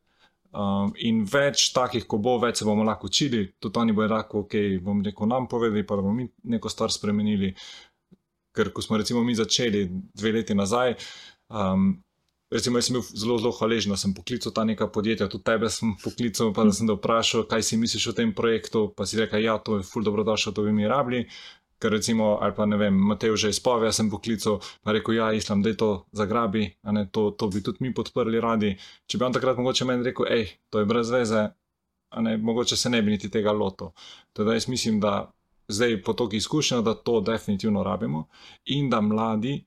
In več takih, ko bo, več se bomo lahko učili, tudi oni bojo lahko, bom rekel, nam povedali, pa da bomo mi neko stvar spremenili. Ker ko smo recimo mi začeli 2 leti nazaj, recimo jaz sem bil zelo hvaležen, da sem poklical ta neka podjetja, tudi tebe sem poklical, pa da sem te vprašal, kaj si misliš o tem projektu, pa si rekel, ja, to je ful dobrodošlo, to bi mi rabili. Ker recimo, ali pa ne vem, Matej že iz Povja sem poklical, pa rekel, ja, Islam, daj to zagrabi, a ne, to bi tudi mi podprli radi. Če bi on takrat mogoče meni rekel, to je brez veze, a ne, mogoče se ne bi niti tega lotil. Teda jaz mislim, da zdaj po toliko izkušnja, da to definitivno rabimo in da mladi,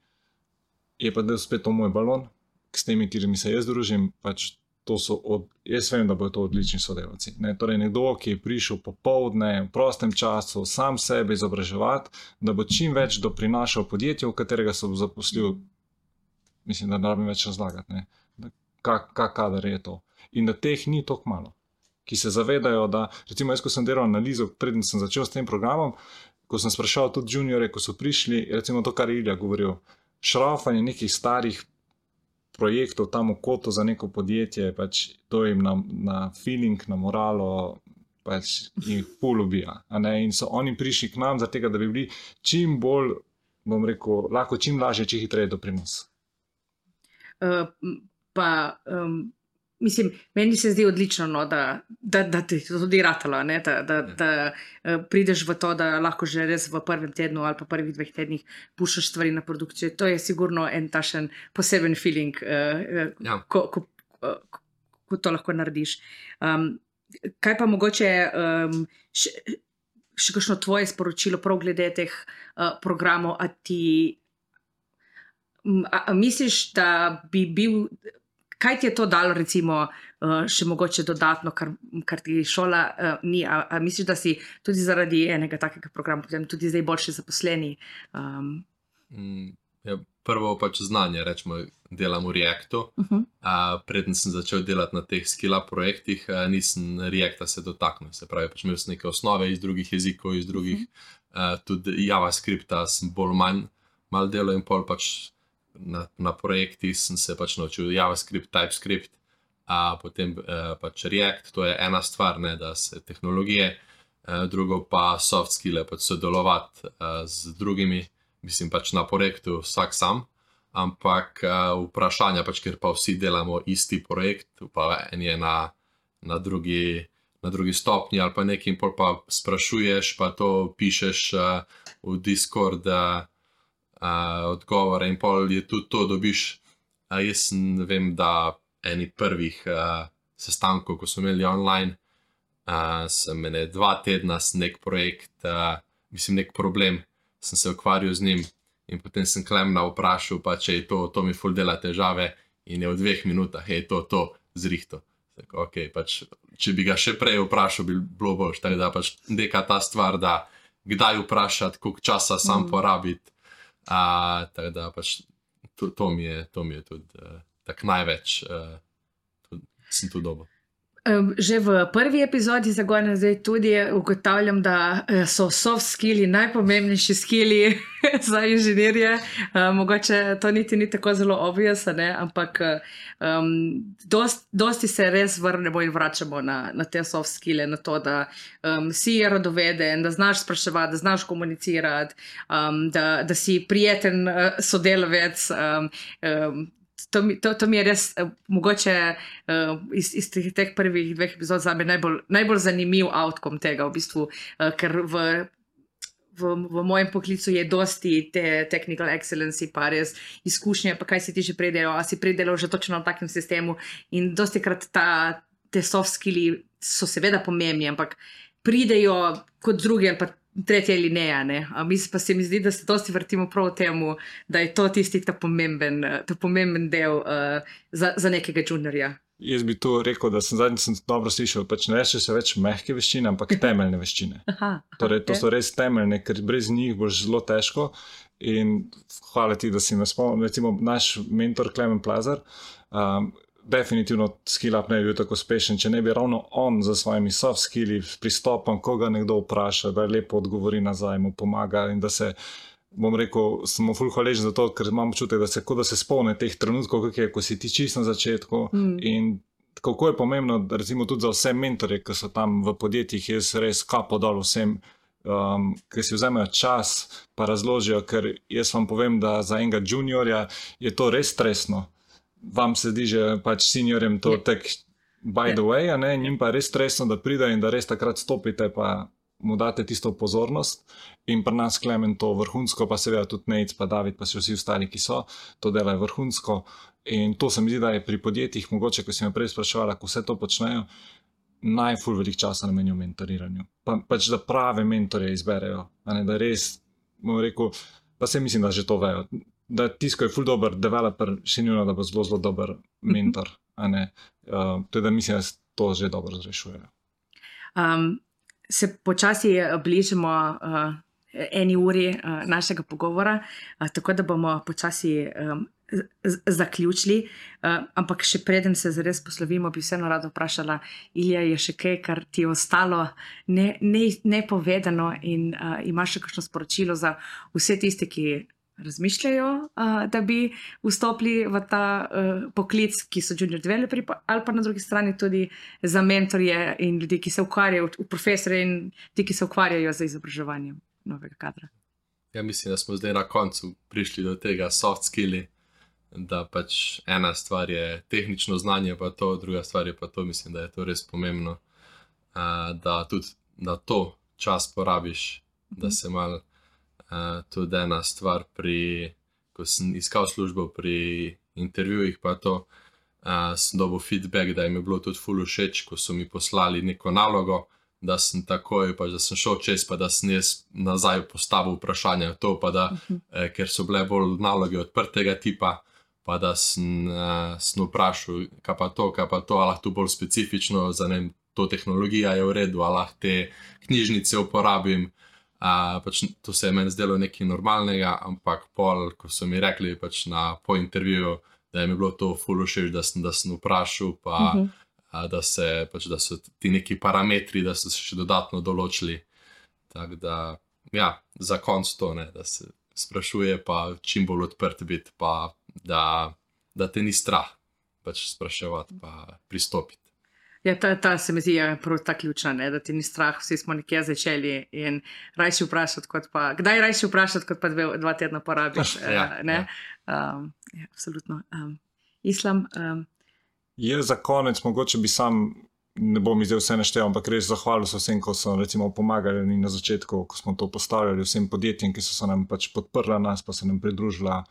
je pa del spet to moj balon, s temi, kjerimi se jaz družim, pač to so jaz vem, da bodo to odlični sodelavci. Torej nekdo, ki je prišel popoldne, v prostem času, sam sebe izobraževati, da bo čim več doprinašal podjetju, v katerega se bo zaposlil, mislim, da ne rabim več razlagati, kak kader je to. In da teh ni toliko malo, ki se zavedajo, da, recimo jaz, ko sem delal analizo, preden sem začel s tem programom, ko sem sprašal tudi juniore, ko so prišli, recimo to, kar je Ilja govoril, šrafanje nekih starih projektov tam v kotu za neko podjetje, pač to jim na feeling, na moralo, pač jih ful ubija. In so oni prišli k nam zaradi tega, da bi bili čim bolj, bom rekel, lahko čim lažje, čim hitreje doprinos. Mislim, meni se zdi odlično, da ti to tudi ratalo, da prideš v to, da lahko že res v prvem tednu ali pa prvih 2 tednih pušaš stvari na produkcijo. To je sigurno en tašen poseben feeling, ko to lahko narediš. Kaj pa mogoče še kakšno tvoje sporočilo prav glede teh programov, a misliš, da bi bil... Kaj ti je to dalo, recimo, še mogoče dodatno, kar ti šola ni? A misliš, da si tudi zaradi enega takega programa potem tudi zdaj boljše zaposleni? Prvo pač znanje, rečemo, delam v Reactu. Preden sem začel delati na teh skill-up projektih, nisem Reacta se dotaknil. Se pravi, pač imel sem neke osnove iz drugih jezikov, iz drugih, tudi JavaScripta sem bolj manj delal in pol pač na projektih sem se pač naučil JavaScript, TypeScript, potem pač React, to je ena stvar, da se tehnologije, drugo pa soft skille, pač sodelovati z drugimi, mislim pač na projektu vsak sam, ampak vprašanja pač, ker pa vsi delamo isti projekt, pa en je na drugi stopnji ali pa nekaj in pol pa sprašuješ, pa to pišeš v Discord, odgovore in pol je tudi to dobiš. Jaz vem, da eni prvih sestankov, ko smo imeli online, sem 2 tedna s nek projekt, mislim nek problem, sem se ukvarjal z njim in potem sem Klemna vprašal, pa če je to mi ful dela težave in je v 2 minutah to zrihto. Tako, pač, če bi ga še prej vprašal, bi bilo boljše, tako da pač neka ta stvar, da kdaj vprašati, koliko časa sam porabiti. Tako da pač to mi je tudi tako največ, sem tu dobil. Že v prvi epizodi Zagona zdaj tudi ugotavljam, da so soft skilli najpomembnejši skilli za inženirje. Mogoče to niti ni tako zelo obvious, ampak dosti se res vrnemo in vračamo na te soft skille, na to, da si radoveden, da znaš spraševati, da znaš komunicirati, da si prijeten sodelavec. To mi je res mogoče iz teh prvih 2 epizod zame najbolj zanimiv outcome tega, v bistvu, ker v mojem poklicu je dosti te technical excellence, pa res izkušnje, pa kaj si ti že predelal, a si predelal že točno v takem sistemu in dosti krat te soft skilli so seveda pomembni, ampak pridejo kot drugi ali pa tretje alineja, pa se mi zdi, da se dosti vrtimo prav v temu, da je to tisti ta pomemben del za nekega juniorja. Jaz bi tu rekel, da sem dobro slišal, pač ne reče se več mehke veščine, ampak temeljne veščine. Torej, to so res temeljne, ker brez njih boš zelo težko in hvala ti, da si me spomnil, recimo naš mentor Klemen Plazar, definitivno skill-up ne bi bil tako uspešen, če ne bi ravno on za svojimi soft skilli pristopom, ko ga nekdo vpraša, da lepo odgovori nazaj, mu pomaga in da se bom rekel, smo ful hvaležni za to, ker imam občutek, da se spomne teh trenutkov, ko si ti čisto na začetku in kako je pomembno, recimo tudi za vse mentorje, ki so tam v podjetjih, jaz res kapo dol vsem, ki si vzamejo čas pa razložijo, ker jaz vam povem, da za enega juniorja je to res stresno. Vam se zdi, že pač seniorjem to tak by the way, a ne, njim pa je res stresno, da pride in da res takrat stopite pa mu date tisto pozornost in pri nas Klemen to vrhunsko, pa seveda tudi Nejc, pa David, pa vsi ostali, ki so, to delajo vrhunsko in to se mi zdi, da je pri podjetjih mogoče, ko si me prej spraševala, ko vse to počnejo, najful velik časa namenijo mentoriranju. Pač da prave mentorje izberejo, a ne, da res, bom rekel, pa se mislim, da že to vejo, da tisto je ful dober developer, še njuno, da bo zelo dober mentor, a ne, to je, da mislim, da to že dobro zrešujejo. Se počasi bližimo eni uri našega pogovora, tako da bomo počasi zaključili, ampak še preden se zares poslovimo, bi vseeno rada vprašala, Ilija, je še kaj, kar ti je ostalo nepovedano in imaš še kakšno sporočilo za vse tiste, ki razmišljajo, da bi vstopili v ta poklic, ki so junior developeri, ali pa na drugi strani tudi za mentorje in ljudi, ki se ukvarjajo, profesorje in ti, ki se ukvarjajo z izobraževanjem novega kadra. Ja, mislim, da smo zdaj na koncu prišli do tega soft skilli, da pač ena stvar je tehnično znanje, pa to, druga stvar je pa to, mislim, da je to res pomembno, da tudi na to čas porabiš, da se malo tudi ena stvar ko sem iskal službo pri intervjujih, pa to sem dobil feedback, da jim je bilo tudi ful všeč, ko so mi poslali neko nalogo, da sem takoj, pa da sem šel čez, pa da sem jaz nazaj postavil vprašanje to, pa da, ker so bile bolj naloge odprtega tipa, pa da sem vprašal, kaj pa to, ali lahko tu bolj specifično, za ne, to tehnologija je v redu, ali lahko te knjižnice uporabim. Pač to se je meni zdelo nekaj normalnega, ampak pol, ko so mi rekli pač po intervjuju, da je mi bilo to ful všeč, da sem vprašal, pa da so ti neki parametri, da so se še dodatno določili. Tako da, ja, za konc to, ne, da se sprašuje, pa čim bolj odprt biti, pa da te ni strah pač spraševati, pa pristopiti. Ja, ta se mi zdi prav ta ključna, ne, da ti ni strah, vsi smo nekje začeli in rajši vprašati, kdaj rajši vprašati, kot pa 2 tedna porabiš, ne? Ja, absolutno. Islam? Jaz za konec, mogoče bi sam, ne bom zdaj vse naštel, ampak res zahvalil se vsem, ko so recimo pomagali na začetku, ko smo to postavljali, vsem podjetjem, ki so se nam pač podprla nas, pa se nam pridružila.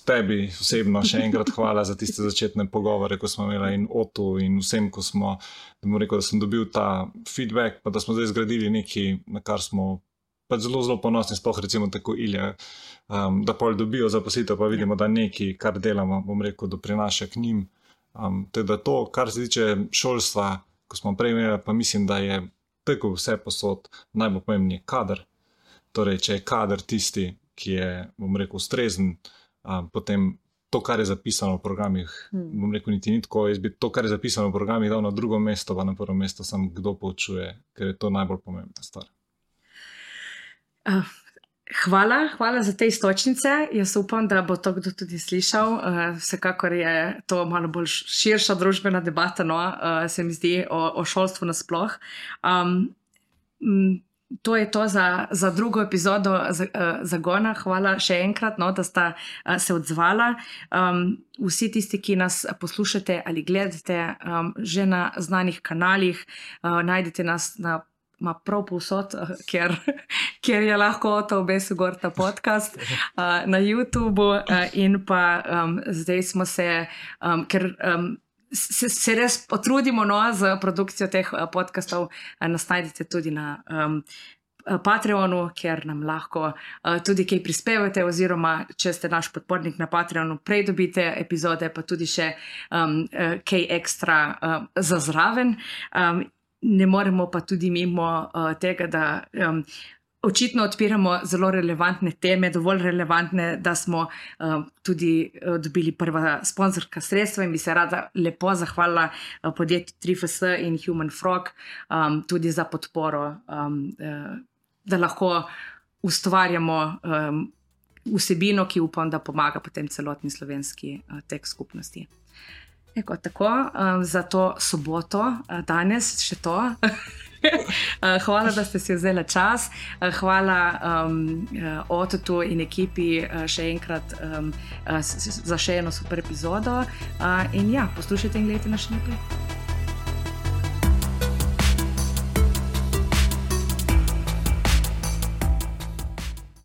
Tebi osebno še enkrat hvala za tiste začetne pogovore, ko smo imeli in Otu in vsem, ko smo, da bom rekel, da sem dobil ta feedback, pa da smo zdaj zgradili nekaj, na kar smo pač zelo ponosni, sploh recimo tako Ilija, da pol dobijo zaposlitev, pa vidimo, da nekaj, kar delamo, bom rekel, doprinaša k njim. Teda to, kar se tiče šolstva, ko smo prej imeli, pa mislim, da je tako vse posod najbolj pomembnejši kader. Torej, če je kader tisti, ki je, bom rekel, ustrezen, potem to, kar je zapisano v programih, bom rekel, niti ni tako, jaz bi to, kar je zapisano v programih, dal na drugo mesto, pa na prvo mesto sam kdo poučuje, ker je to najbolj pomembna stvar. Hvala za te istočnice. Jaz upam, da bo to kdo tudi slišal. Vsekakor je to malo bolj širša družbena debata, no, se mi zdi, o šolstvu nasploh. To je to za drugo epizodo Zagona. Hvala še enkrat, no, da sta se odzvala. Vsi tisti, ki nas poslušate ali gledate že na znanih kanalih, najdete nas prav povsod, kjer je lahko to obesil gor ta podcast, na YouTubeu in pa zdaj smo se, ker se res potrudimo, no, z produkcijo teh podcastov, nas najdete tudi na Patreonu, kjer nam lahko tudi kaj prispevate, oziroma če ste naš podpornik na Patreonu, prej dobite epizode, pa tudi še kaj ekstra za zraven. Ne moremo pa tudi mimo tega, da očitno odpiramo zelo relevantne teme, dovolj relevantne, da smo tudi dobili prva sponzorska sredstva in bi se rada lepo zahvalila podjetju 3FS in Human Frog tudi za podporo, da lahko ustvarjamo vsebino, ki upam, da pomaga potem celotni slovenski tech skupnosti. Tako, za to soboto, danes še to. Hvala, da ste si vzeli čas. Hvala Ototu in ekipi še enkrat za še eno super epizodo. In ja, poslušajte in gledajte nas še naprej.